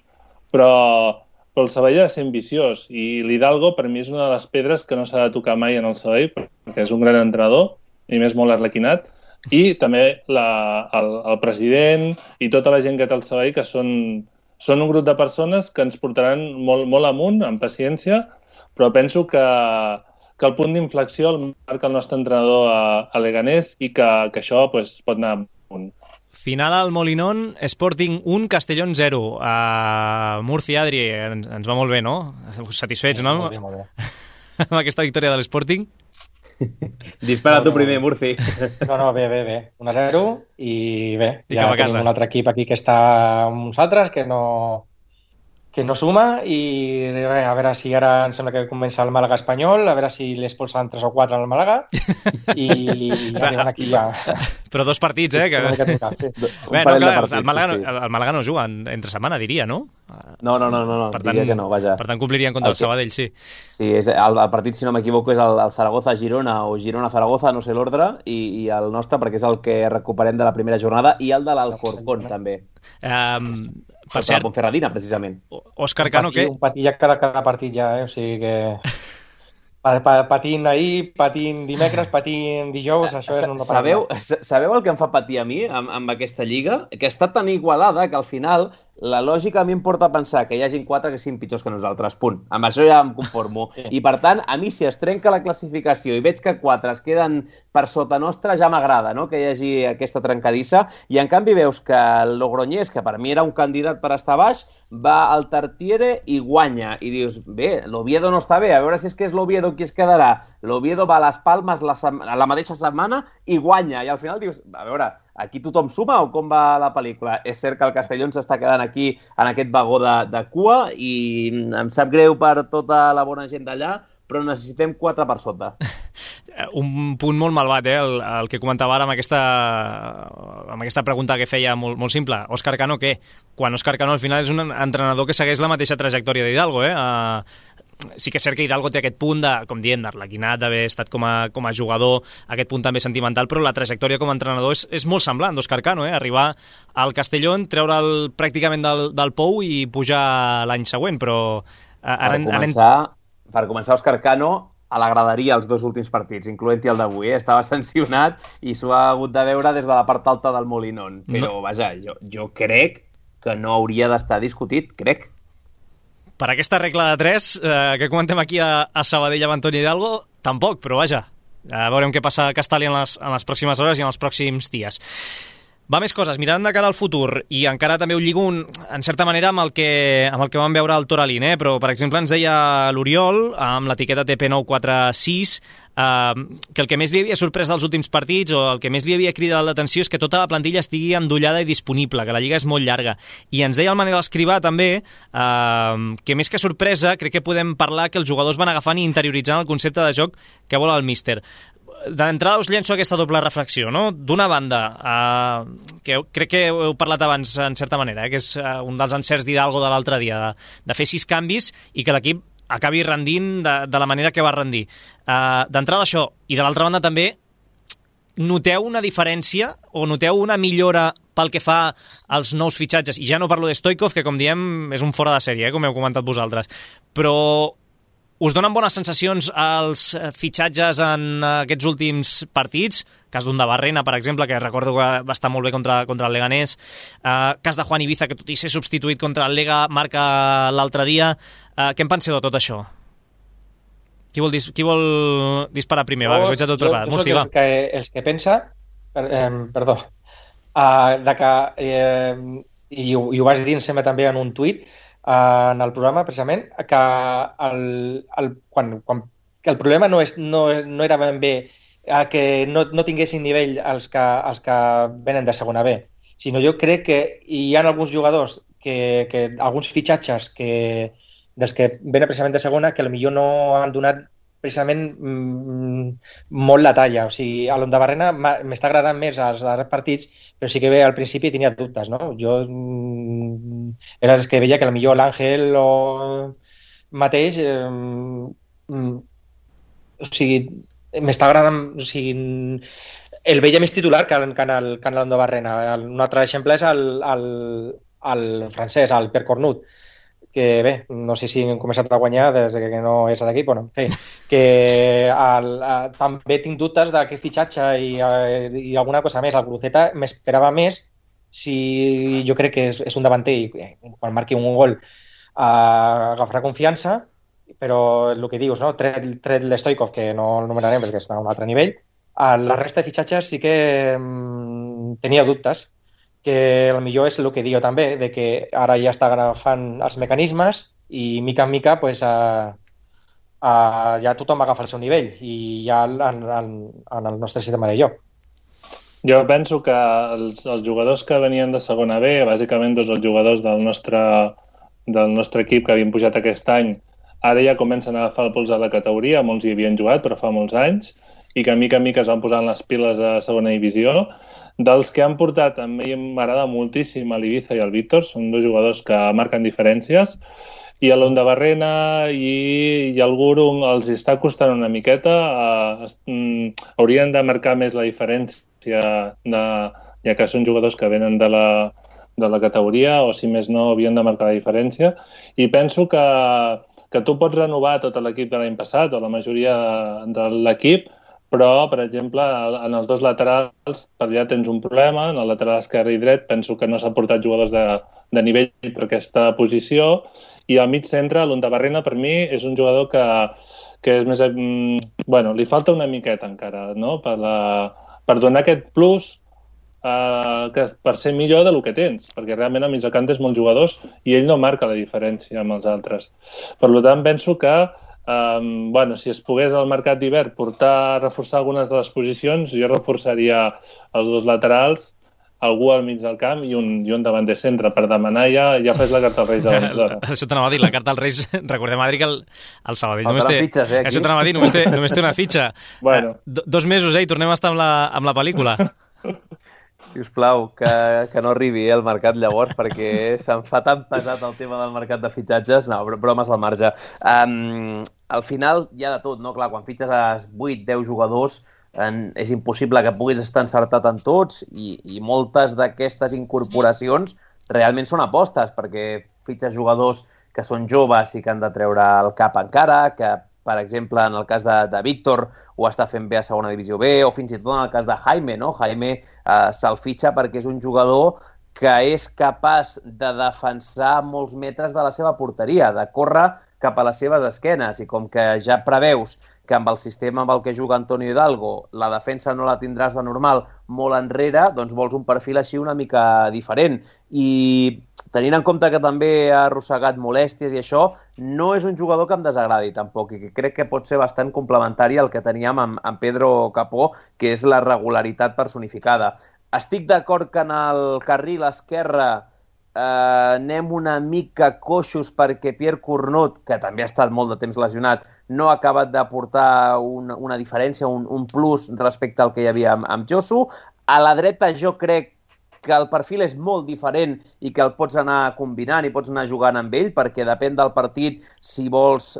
però el Sabadell ha de ser ambiciós, i l'Hidalgo per mi és una de les pedres que no s'ha de tocar mai en el Sabadell, perquè és un gran entrenador, i més molt arlequinat, i també el president i tota la gent que té el Sabadell, que són un grup de persones que ens portaran molt amunt, amb paciència, però penso que el punt d'inflexió el marca el nostre entrenador a Leganés i que això pot anar amunt. Final al Molinón, Sporting 1, Castellón 0. Murcia, Adri, ens va molt bé, no? Satisfets, no? Molt bé. Amb aquesta victòria de l'Sporting? Dispara tu primer, Murci. No, bé. 1-0 i bé. I cap a casa. Tenim un altre equip aquí que està amb uns altres, que no suma, i a veure si ara em sembla que comença el Màlaga Espanyol, a veure si l'expulsen 3 o 4 al Màlaga, i arriben aquí ja. Però 2 partits, sí. Sí. Bé, no, clar, el Màlaga no juga entre setmana, diria, no? No, diria que no, vaja. Per tant, complirien contra el Sabadell, sí. Sí, el partit, si no m'equivoco, és el Zaragoza-Girona o Girona-Zaragoza, no sé l'ordre, i el nostre, perquè és el que recuperem de la primera jornada, i el de l'Alcorcón, també. Per cert, la Ponferradina, precisament. Òscar Cano, què? Un patit ja cada partit ja, o sigui que... Patint ahir, patint dimecres, patint dijous, això és... Sabeu el que em fa patir a mi amb aquesta lliga? Que està tan igualada que al final la lògica a mi em porta a pensar que hi hagin 4 que siguin pitjors que nosaltres, punt. Amb això ja em conformo. I per tant, a mi si es trenca la classificació i veig que 4 es queden per sota nostra, ja m'agrada, no?, que hi hagi aquesta trencadissa. I en canvi veus que el Logroñés, que per mi era un candidat per estar baix, va al Tartiere i guanya. I dius, bé, l'Oviedo no està bé, a veure si és que és l'Oviedo qui es quedarà. L'Oviedo va a les Palmes la mateixa setmana i guanya. I al final dius, a veure, aquí tothom suma o com va la pel·lícula? És cert que el Castellón s'està quedant aquí en aquest vagó de cua i em sap greu per tota la bona gent d'allà, però necessitem 4 per sota. Un punt molt malvat, el que comentava ara amb aquesta pregunta que feia molt simple. Òscar Cano, què? Quan Òscar Cano al final és un entrenador que segueix la mateixa trajectòria d'Hidalgo, sí que és cert que Hidalgo té aquest punt de, com diem, d'arlequinat, d'haver estat com a jugador, aquest punt també sentimental, però la trajectòria com a entrenador és molt semblant d'Òscar Cano, arribar al Castellón, treure'l pràcticament del pou i pujar l'any següent, però... Per començar, Òscar Cano a la graderia els 2 últims partits, incloent-hi el d'avui, estava sancionat i s'ho ha hagut de veure des de la part alta del Molinón, però vaja, jo crec que no hauria d'estar discutit, crec. Per aquesta regla de 3 que comentem aquí a Sabadell amb Antoni Hidalgo, tampoc, però vaja, veurem què passa a Castalla en les pròximes hores i en els pròxims dies. Va, més coses, mirant de cara al futur, i encara també ho lligo en certa manera amb el que vam veure al Toralín, però per exemple ens deia l'Oriol, amb l'etiqueta TP946, que el que més li havia sorprès dels últims partits, o el que més li havia cridat l'atenció, és que tota la plantilla estigui endollada i disponible, que la lliga és molt llarga. I ens deia el Manel Escrivà també, que més que sorpresa, crec que podem parlar que els jugadors van agafant i interioritzant el concepte de joc que vol el míster. D'entrada us llenço aquesta doble reflexió, no? D'una banda, que crec que heu parlat abans en certa manera, que és un dels encerts d'Hidalgo de l'altre dia, de fer 6 canvis i que l'equip acabi rendint de la manera que va rendir. D'entrada això, i de l'altra banda també, noteu una diferència o noteu una millora pel que fa als nous fitxatges? I ja no parlo de Stoikov, que com diem és un fora de sèrie, com heu comentat vosaltres, però... Us donen bones sensacions els fitxatges en aquests últims partits? Cas d'un de Barrena, per exemple, que recordo que va estar molt bé contra el Leganés. Cas de Juan Ibiza, que tot i ser substituït contra el Lega, marca l'altre dia. Què en penseu de tot això? Qui vol disparar primer? Va, que us veig a tot preparat. Jo soc els que pensa... Perdó. I ho vas dir, em sembla, també en un tuit, en el programa, precisament, que el problema no era ben bé que no tinguessin nivell els que venen de segona B, sinó jo crec que hi ha alguns jugadors, alguns fitxatges dels que venen precisament de segona, que potser no han donat precisament molt la talla. O sigui, a l'Onda Barrena m'està agradant més els darrers partits, però sí que al principi tenia dubtes, no? Jo era el que veia que potser l'Àngel mateix o sigui, m'està agradant, o sigui, el veia més titular que en l'Onda Barrena. Un altre exemple és el francès, el Per Cornut, que bé, no sé si hem començat a guanyar des que no és a l'equip, bueno, en fi, que també tinc dubtes d'aquest fitxatge i alguna cosa més. El Guruceta m'esperava més, si jo crec que és un davanter i quan marqui un gol agafarà confiança, però el que dius, no? Tret l'Stoikov, que no el numerarem perquè està a un altre nivell, la resta de fitxatges sí que tenia dubtes, que potser és el que diu també, de que ara ja està agafant els mecanismes i mica en mica pues, ja tothom agafa el seu nivell i ja en el nostre sistema de joc. Jo penso que els jugadors que venien de segona B, bàsicament tots els jugadors del nostre equip que havien pujat aquest any, ara ja comencen a agafar el pols a la categoria, molts hi havien jugat però fa molts anys, i que mica en mica es van posant les piles a segona divisió. Dels que han portat, a mi m'agrada moltíssim l'Ibiza i el Víctor, són 2 jugadors que marquen diferències, i a l'Onda Barrena i el Guru els està costant una miqueta, haurien de marcar més la diferència, ja que són jugadors que venen de la categoria, o si més no havien de marcar la diferència, i penso que tu pots renovar tot l'equip de l'any passat, o la majoria de l'equip, però, per exemple, en els 2 laterals per allà tens un problema, en el lateral esquerre i dret penso que no s'ha portat jugadors de nivell per aquesta posició, i al mig centre, l'Undabarrena, per mi, és un jugador que és més... li falta una miqueta encara, no?, per donar aquest plus per ser millor del que tens, perquè realment a mig de camp tens molts jugadors i ell no marca la diferència amb els altres. Per tant, penso que si es pogués al mercat d'hivern reforçar algunes de les posicions, jo reforçaria els dos laterals, algú al mig del camp i un davant de centre per demanar ja fes la carta als Reis abans d'hora. Això t'anava a dir, la carta als Reis, recordem, Adri, que el Sabadell només té... fitxes, aquí. Això t'anava a dir, només té una fitxa. Bueno. 2 mesos, i tornem a estar amb la pel·lícula. Sisplau, que no arribi al mercat llavors, perquè se'm fa tan pesat el tema del mercat de fitxatges. No, bromes al marge. Al final hi ha de tot, no? Clar, quan fitxes a 8-10 jugadors és impossible que puguis estar encertat en tots i moltes d'aquestes incorporacions realment són apostes, perquè fitxes jugadors que són joves i que han de treure el cap encara, que, per exemple, en el cas de Víctor ho està fent bé a segona divisió B, o fins i tot en el cas de Jaime, no? Jaime se'l fitxa perquè és un jugador que és capaç de defensar molts metres de la seva porteria, de córrer cap a les seves esquenes, i com que ja preveus que amb el sistema amb el que juga Antonio Hidalgo la defensa no la tindràs de normal molt enrere, doncs vols un perfil així una mica diferent. I tenint en compte que també ha arrossegat molèsties i això, no és un jugador que em desagradi tampoc, i que crec que pot ser bastant complementari al que teníem amb Pedro Capó, que és la regularitat personificada. Estic d'acord que en el carril esquerre anem una mica coixos perquè Pierre Cornut, que també ha estat molt de temps lesionat, no ha acabat d'aportar una diferència, un plus respecte al que hi havia amb Josu. A la dreta jo crec que el perfil és molt diferent i que el pots anar combinant i pots anar jugant amb ell, perquè depèn del partit. Si vols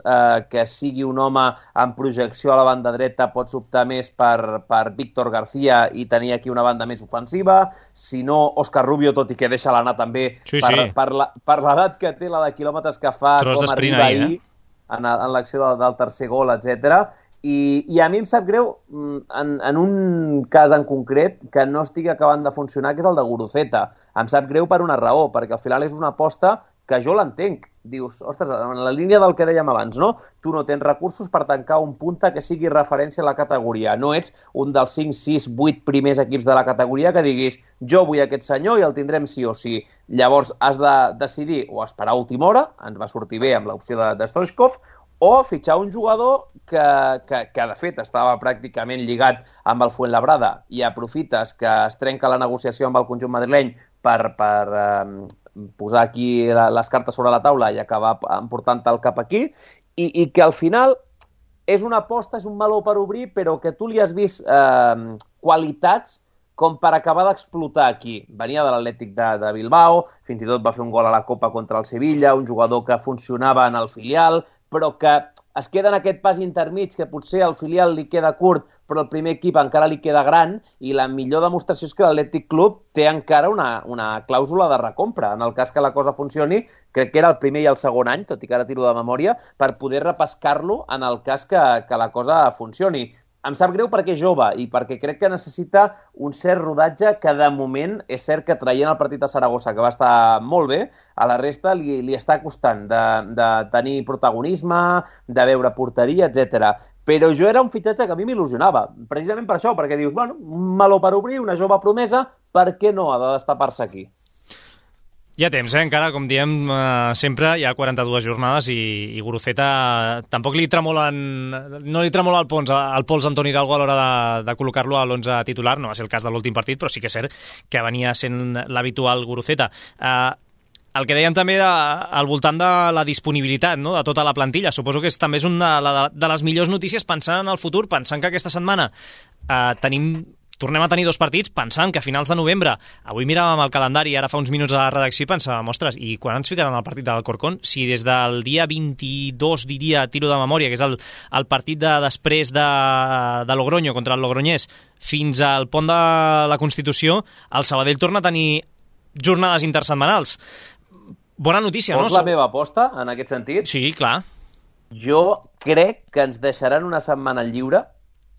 que sigui un home amb projecció a la banda dreta, pots optar més per Víctor García i tenir aquí una banda més ofensiva. Si no, Òscar Rubio, tot i que deixa l'anar també per l'edat que té, la de quilòmetres que fa, com arriba ahir en l'acció del tercer gol, etc. I a mi em sap greu, en un cas en concret, que no estigui acabant de funcionar, que és el de Guruceta. Em sap greu per una raó, perquè al final és una aposta que jo l'entenc. Dius, ostres, en la línia del que dèiem abans, no? Tu no tens recursos per tancar un punta que sigui referència a la categoria. No ets un dels 5, 6, 8 primers equips de la categoria que diguis jo vull aquest senyor i el tindrem sí o sí. Llavors has de decidir o esperar a última hora, ens va sortir bé amb l'opció de Stoichkov, o fitxar un jugador que de fet estava pràcticament lligat amb el Fuenlabrada i aprofites que es trenca la negociació amb el conjunt madrileny per posar aquí les cartes sobre la taula i acabar emportant-te'l cap aquí, i que al final és una aposta, és un meló per obrir, però que tu li has vist qualitats com per acabar d'explotar aquí. Venia de l'Atlètic de Bilbao, fins i tot va fer un gol a la Copa contra el Sevilla, un jugador que funcionava en el filial, però que es queda en aquest pas intermig, que potser al filial li queda curt, però el primer equip encara li queda gran, i la millor demostració és que l'Atlètic Club té encara una clàusula de recompra, en el cas que la cosa funcioni, crec que era el primer i el segon any, tot i que ara tiro de memòria, per poder repescar-lo en el cas que la cosa funcioni. Em sap greu perquè és jove i perquè crec que necessita un cert rodatge que de moment és cert que traient el partit a Saragossa, que va estar molt bé, a la resta li està costant de tenir protagonisme, de veure porteria, etc. Però jo era un fitxatge que a mi m'il·lusionava, precisament per això, perquè dius, bueno, un meló per obrir, una jove promesa, per què no ha de destapar-se aquí? Hi ha temps, encara, com diem sempre, hi ha 42 jornades i Guruceta tampoc no li tremola el pols a Antoni Hidalgo a l'hora de col·locar-lo a l'11 titular. No va ser el cas de l'últim partit, però sí que és cert que venia sent l'habitual Guruceta. El que dèiem també era al voltant de la disponibilitat, no?, de tota la plantilla. Suposo que també és una de les millors notícies pensant en el futur, pensant que aquesta setmana tornem a tenir 2 partits, pensant que a finals de novembre, avui miràvem el calendari i ara fa uns minuts a la redacció i pensàvem, ostres, i quan ens ficaran el partit de l'Alcorcón? Si des del dia 22, diria, tiro de memòria, que és el partit després de Logroño contra el Logroñés, fins al pont de la Constitució, el Sabadell torna a tenir jornades intersetmanals. Bona notícia, no? Vols la meva aposta, en aquest sentit? Sí, clar. Jo crec que ens deixaran una setmana lliure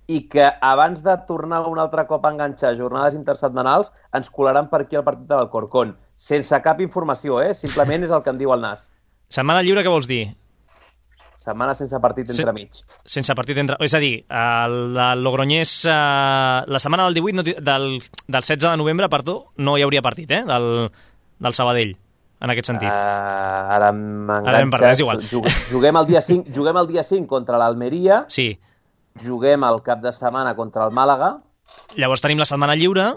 i que abans de tornar un altre cop a enganxar jornades intersetmanals ens colaran per aquí el partit de l'Alcorcón. Sense cap informació, simplement és el que em diu el Nas. Setmana lliure, què vols dir? Setmana sense partit entremig. Sense partit entre... És a dir, el Logroñés, la setmana del 18, del 16 de novembre, perdó, no hi hauria partit, del Sabadell, en aquest sentit. Ara m'enganxes. Juguem el dia 5 contra l'Almeria. Sí. Juguem el cap de setmana contra el Màlaga. Llavors tenim la setmana lliure.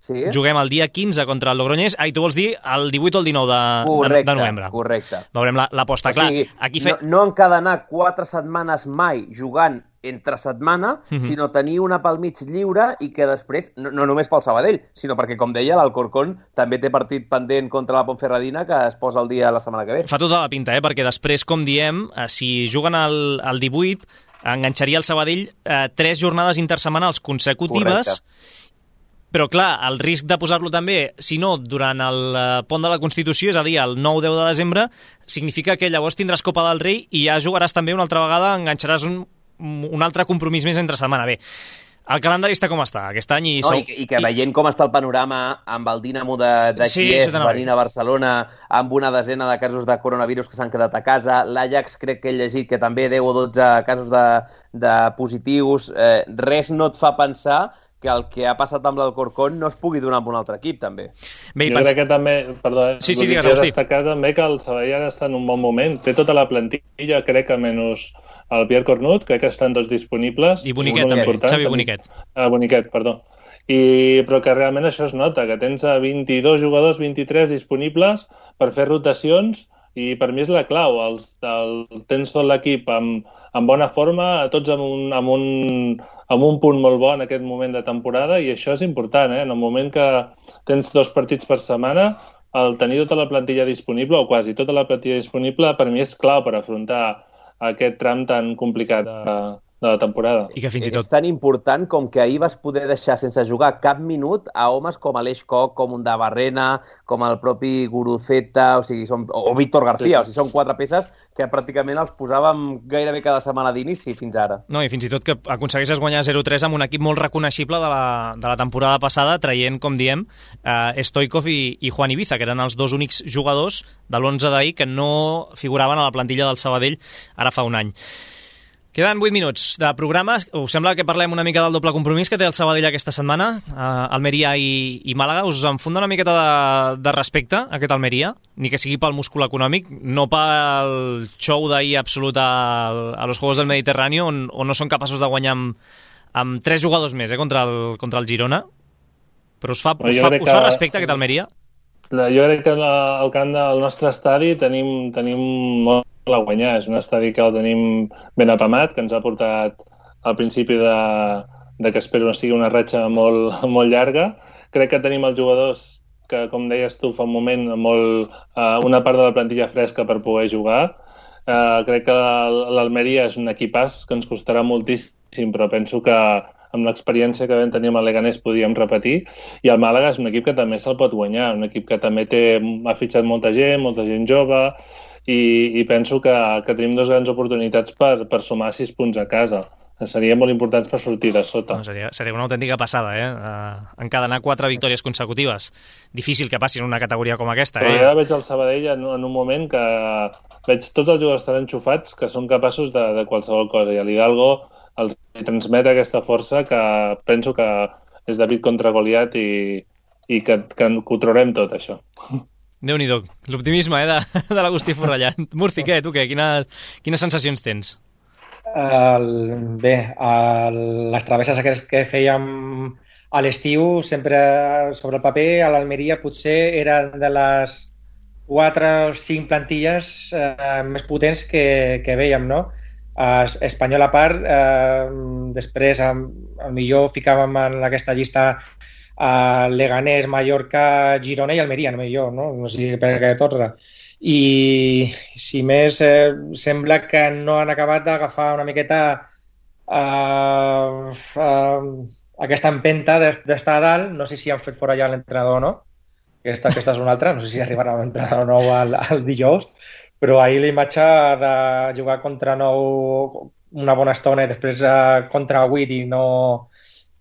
Sí. Juguem el dia 15 contra el Logroñés. Tu vols dir el 18 o el 19 de novembre. Correcte. Veurem l'aposta. O sigui, aquí no encadenar 4 setmanes mai jugant entre setmana, sinó tenir una pel mig lliure i que després, no només pel Sabadell, sinó perquè, com deia, l'Alcorcón també té partit pendent contra la Ponferradina que es posa el dia la setmana que ve. Fa tota la pinta, perquè després, com diem, si juguen el 18, enganxaria el Sabadell 3 jornades intersetmanals consecutives. Correcte. Però, clar, el risc de posar-lo també, si no, durant el pont de la Constitució, és a dir, el 9-10 de desembre, significa que llavors tindràs Copa del Rei i ja jugaràs també una altra vegada, enganxaràs un altre compromís més entre setmana. Bé, el calendari està com està aquest any. I que veient com està el panorama amb el Dinamo de Kiev venint a Barcelona, amb una desena de casos de coronavirus que s'han quedat a casa, l'Ajax crec que he llegit que també 10 o 12 casos de positius, res no et fa pensar que el que ha passat amb l'Alcorcón no es pugui donar amb un altre equip, també. Bé, jo crec que també, perdó, digues, Agustí. Destacar també que el Sabadell ara està en un bon moment. Té tota la plantilla, crec que menys el Pierre Cornut, crec que estan tots disponibles. I Boniquet també, Xavi Boniquet. Boniquet, perdó. Però que realment això es nota, que tens 22 jugadors, 23 disponibles per fer rotacions, i per mi és la clau. Tens tot l'equip en bona forma, tots amb un punt molt bo en aquest moment de temporada, i això és important, En el moment que tens 2 partits per setmana, el tenir tota la plantilla disponible, o quasi tota la plantilla disponible, per mi és clau per afrontar aquest tram tan complicat de la temporada. I que fins i tot... És tan important com que ahir vas poder deixar sense jugar cap minut a homes com Aleix Koch, com un de Barrena, com el propi Guruceta, o Víctor García. Sí. O sigui, són 4 peces que pràcticament els posàvem gairebé cada setmana d'inici fins ara. No, i fins i tot que aconsegueixes guanyar 0-3 amb un equip molt reconeixible de la temporada passada, traient, com diem, Stoikov i Juan Ibiza, que eren els 2 únics jugadors de l'11 d'ahir que no figuraven a la plantilla del Sabadell ara fa un any. Queden 8 minuts de programa. Us sembla que parlem una mica del doble compromís que té el Sabadell aquesta setmana? Almeria i Màlaga. Us enfunda una miqueta de respecte, aquest Almeria? Ni que sigui pel múscul econòmic, no pel show d'ahir absolut a los Juegos del Mediterrani, on no són capaços de guanyar amb 3 jugadors més contra el Girona. Però us fa respecte aquest Almeria? Jo crec que al camp del nostre estadi tenim molt a guanyar. És un estadi que el tenim ben apamat, que ens ha portat al principi de que espero no sigui una ratxa molt, molt llarga. Crec que tenim els jugadors que, com deies tu fa un moment, una part de la plantilla fresca per poder jugar. Crec que l'Almeria és un equipàs que ens costarà moltíssim, però penso que amb l'experiència que vam tenir amb el Leganés podíem repetir, i el Màlaga és un equip que també se'l pot guanyar, un equip que també ha fitxat molta gent jove, i penso que tenim 2 grans oportunitats per sumar 6 punts a casa. Serien molt importants per sortir de sota. No, seria una autèntica passada, encadenar 4 victòries consecutives. Difícil que passi en una categoria com aquesta. Però ja veig el Sabadell en un moment que veig tots els jugadors tan enxufats que són capaços de qualsevol cosa, i a l'Hidalgo els transmet aquesta força que penso que és David contra Goliat i que ho traurem tot, això. Déu-n'hi-do, l'optimisme de l'Agustí Forrellà. Murci, què? Tu què? Quines sensacions tens? Bé, les travesses que fèiem a l'estiu, sempre sobre el paper, a l'Almeria potser eren de les 4 o 5 plantilles més potents que vèiem, no? Espanyol a part, després millor ficàvem en aquesta llista Leganés, Mallorca, Girona i Almeria, no sé per què torna. I si més, sembla que no han acabat d'agafar una miqueta aquesta empenta d'estar a dalt. No sé si han fet fora ja l'entrenador o no, aquesta és una altra, no sé si arribarà l'entrenador nou al dijous, però ahir la imatge de jugar contra 9 una bona estona i després contra 8 i no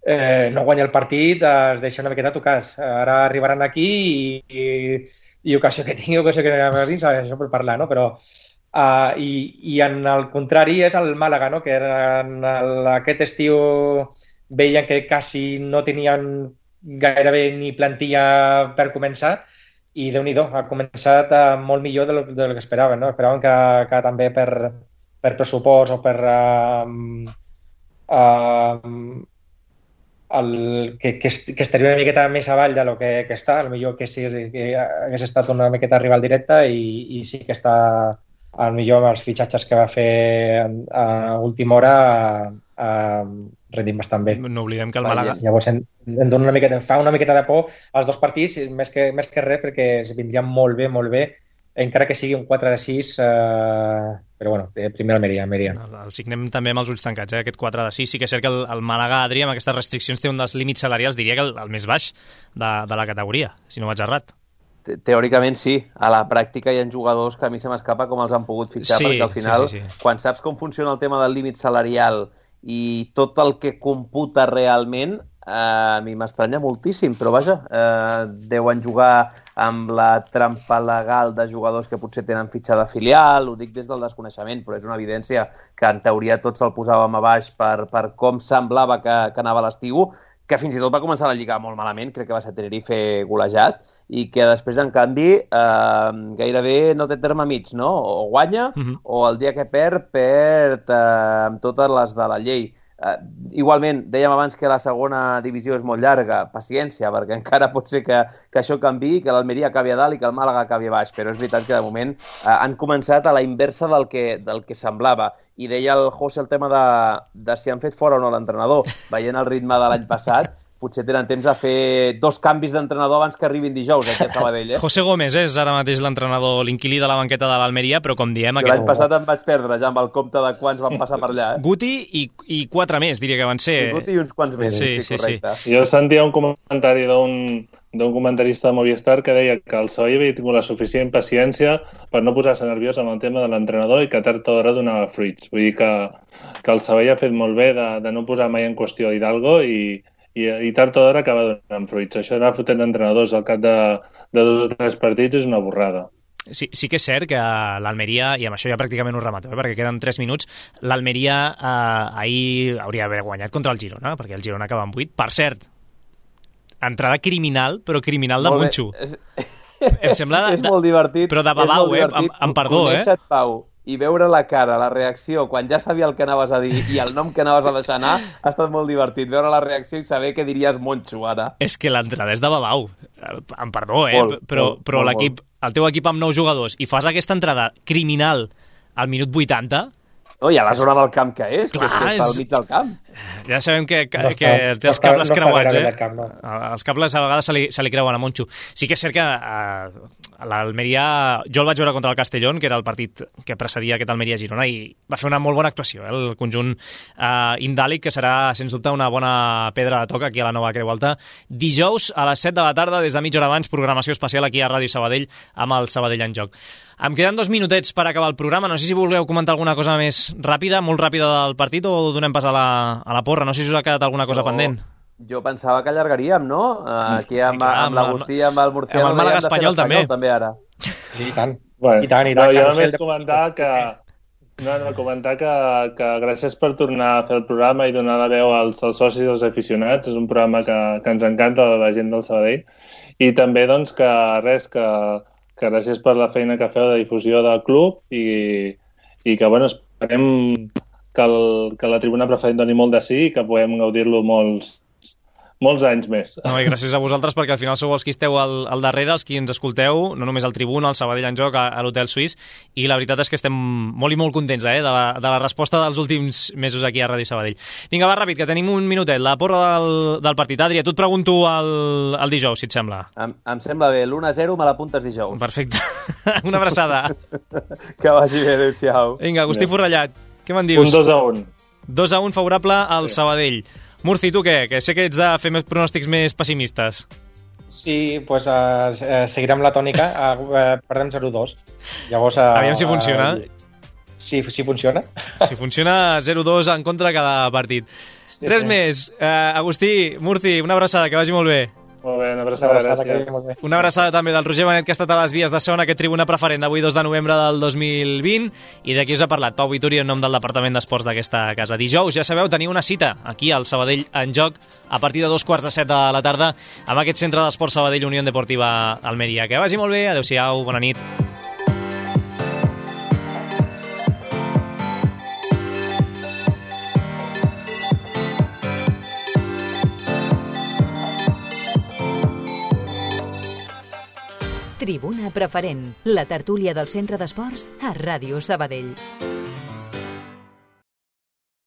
guanya el partit, es deixa una miqueta tocats. Ara arribaran aquí i ocasió que tingui, ocasió que no dins, això per parlar, no? Però i en el contrari és el Màlaga, no? Que aquest estiu veien que quasi no tenien gairebé ni plantilla per començar i Déu-n'hi-do, ha començat molt millor del que esperaven, no? Esperaven que també per pressupost o per que estaria una miqueta més avall de lo que està, potser que sí que hagués estat una miqueta rival directa i sí que està millor amb els fitxatges que va fer a última hora rendint bastant bé. No oblidem que el Màlaga... Llavors fa una miqueta de por als dos partits, més que res, perquè es vindria molt bé, encara que sigui un 4-6, però bueno, primer Almeria. El signem també amb els ulls tancats, aquest 4-6. Sí que és cert que el Màlaga, Adri, amb aquestes restriccions té un dels límits salarials, diria que el més baix de la categoria, si no vaig errat. Teòricament sí, a la pràctica hi ha jugadors que a mi se m'escapa com els han pogut fitxar, perquè al final, quan saps com funciona el tema del límit salarial i tot el que computa realment, a mi m'estranya moltíssim, però vaja, deuen jugar amb la trampa legal de jugadors que potser tenen fitxada filial, ho dic des del desconeixement, però és una evidència que en teoria tots el posàvem a baix per com semblava que anava l'estiu, que fins i tot va començar la Lliga molt malament, crec que va ser Tenerife golejat, i que després, en canvi, gairebé no té terme mig, no? O guanya, o el dia que perd amb totes les de la llei. Igualment, dèiem abans que la segona divisió és molt llarga, paciència, perquè encara pot ser que això canviï, que l'Almeria acabi a dalt i que el Màlaga acabi a baix, però és veritat que de moment han començat a la inversa del que semblava. I deia el José el tema de si han fet fora o no l'entrenador. Veient el ritme de l'any passat, potser tenen temps de fer 2 canvis d'entrenador abans que arribin dijous aquí a Sabadell. José Gómez és ara mateix l'entrenador, l'inquilí de la banqueta de l'Almeria, però com diem... L'any passat em vaig perdre ja amb el compte de quants van passar per allà. Guti i 4 més, diria que van ser. Guti i uns quants més, sí, correcte. Jo sentia un comentari d'un comentarista de Movistar que deia que el Sabadell havia tingut la suficient paciència per no posar-se nerviós amb el tema de l'entrenador i que tard o d'hora donava fruits. Vull dir que el Sabadell ha fet molt bé de no posar mai en qüestió Hidalgo i tard o d'hora acaba donant fruits. Això d'anar fotent entrenadors al cap de 2 o 3 partits és una borrada. Sí que és cert que l'Almeria, i amb això ja pràcticament ho remato, perquè queden 3 minuts, l'Almeria ahir hauria d'haver guanyat contra el Girona, perquè el Girona acaba amb 8. Per cert, entrada criminal, però criminal de Moncho. Em sembla és molt divertit. Però de babau, amb perdó, Conèixer-te, Pau, i veure la cara, la reacció, quan ja sabia el que anaves a dir i el nom que anaves a deixar anar, ha estat molt divertit. Veure la reacció i saber què diries Moncho, ara. És que l'entrada és de babau. Amb perdó, però l'equip, el teu equip amb 9 jugadors, i fas aquesta entrada criminal al minut 80... No, i a la zona del camp que és, clar, que està al mig del camp. Ja sabem que té els cables creuats, Els cables a vegades se li creuen a Moncho. Sí que és cert que l'Almeria... Jo el vaig veure contra el Castellón, que era el partit que precedia aquest Almeria-Girona, i va fer una molt bona actuació, el conjunt indàlic, que serà, sens dubte, una bona pedra de toc aquí a la nova Creu Alta. Dijous, a les 7 de la tarda, des de mitja hora abans, programació especial aquí a Ràdio Sabadell, amb el Sabadell en joc. Em queden 2 minutets per acabar el programa. No sé si vulgueu comentar alguna cosa més ràpida, molt ràpida del partit, o donem pas a la porra. No sé si us ha quedat alguna cosa pendent. Jo pensava que allargaríem, no? Aquí amb l'Agustí, amb el Murciano... Amb el Màlaga Espanyol, també. Ara. I tant. Bueno, I tant. Jo només comentar que gràcies per tornar a fer el programa i donar la veu als socis i als aficionats. És un programa que ens encanta, la gent del Sabadell. I també, doncs, que gràcies per la feina que feu de difusió del club i que, bueno, esperem que la tribuna preferent doni molt de sí i que puguem gaudir-lo molts anys més. No, i gràcies a vosaltres, perquè al final sou els qui esteu al darrere, els qui ens escolteu, no només al Tribuna, al Sabadell en joc, a l'Hotel Suís, i la veritat és que estem molt i molt contents de la resposta dels últims mesos aquí a Ràdio Sabadell. Vinga, va, ràpid, que tenim un minutet. La porra del partit. Adri, a tu et pregunto el dijous, si et sembla. Em sembla bé. L'1-0 me l'apuntes dijous. Perfecte. Una abraçada. Que vagi bé, adéu-siau. Vinga, Agustí Forrellat, què me'n dius? Un 2-1. 2-1 favorable al Sabadell. Murci, tu què? Que sé que ets de fer més pronòstics més pessimistes. Sí, doncs seguirem la tònica. Perdem 0-2. Llavors... Aviam si funciona. si funciona. Si funciona, 0-2 en contra cada partit. Res més. Agustí, Murci, una abraçada, que vagi molt bé. Molt bé, una abraçada, gràcies. Una abraçada també del Roger Benet, que ha estat a les vies de so en aquest tribuna preferent d'avui 2 de novembre del 2020, i d'aquí us ha parlat Pau Vituri en nom del Departament d'Esports d'aquesta casa. Dijous, ja sabeu, teniu una cita aquí al Sabadell en joc a partir de 7:15 de la tarda amb aquest centre d'esports Sabadell Unió Deportiva Almeria. Que vagi molt bé, adeu-siau, bona nit. Tribuna preferent, la tertúlia del centre d'esports a Ràdio Sabadell.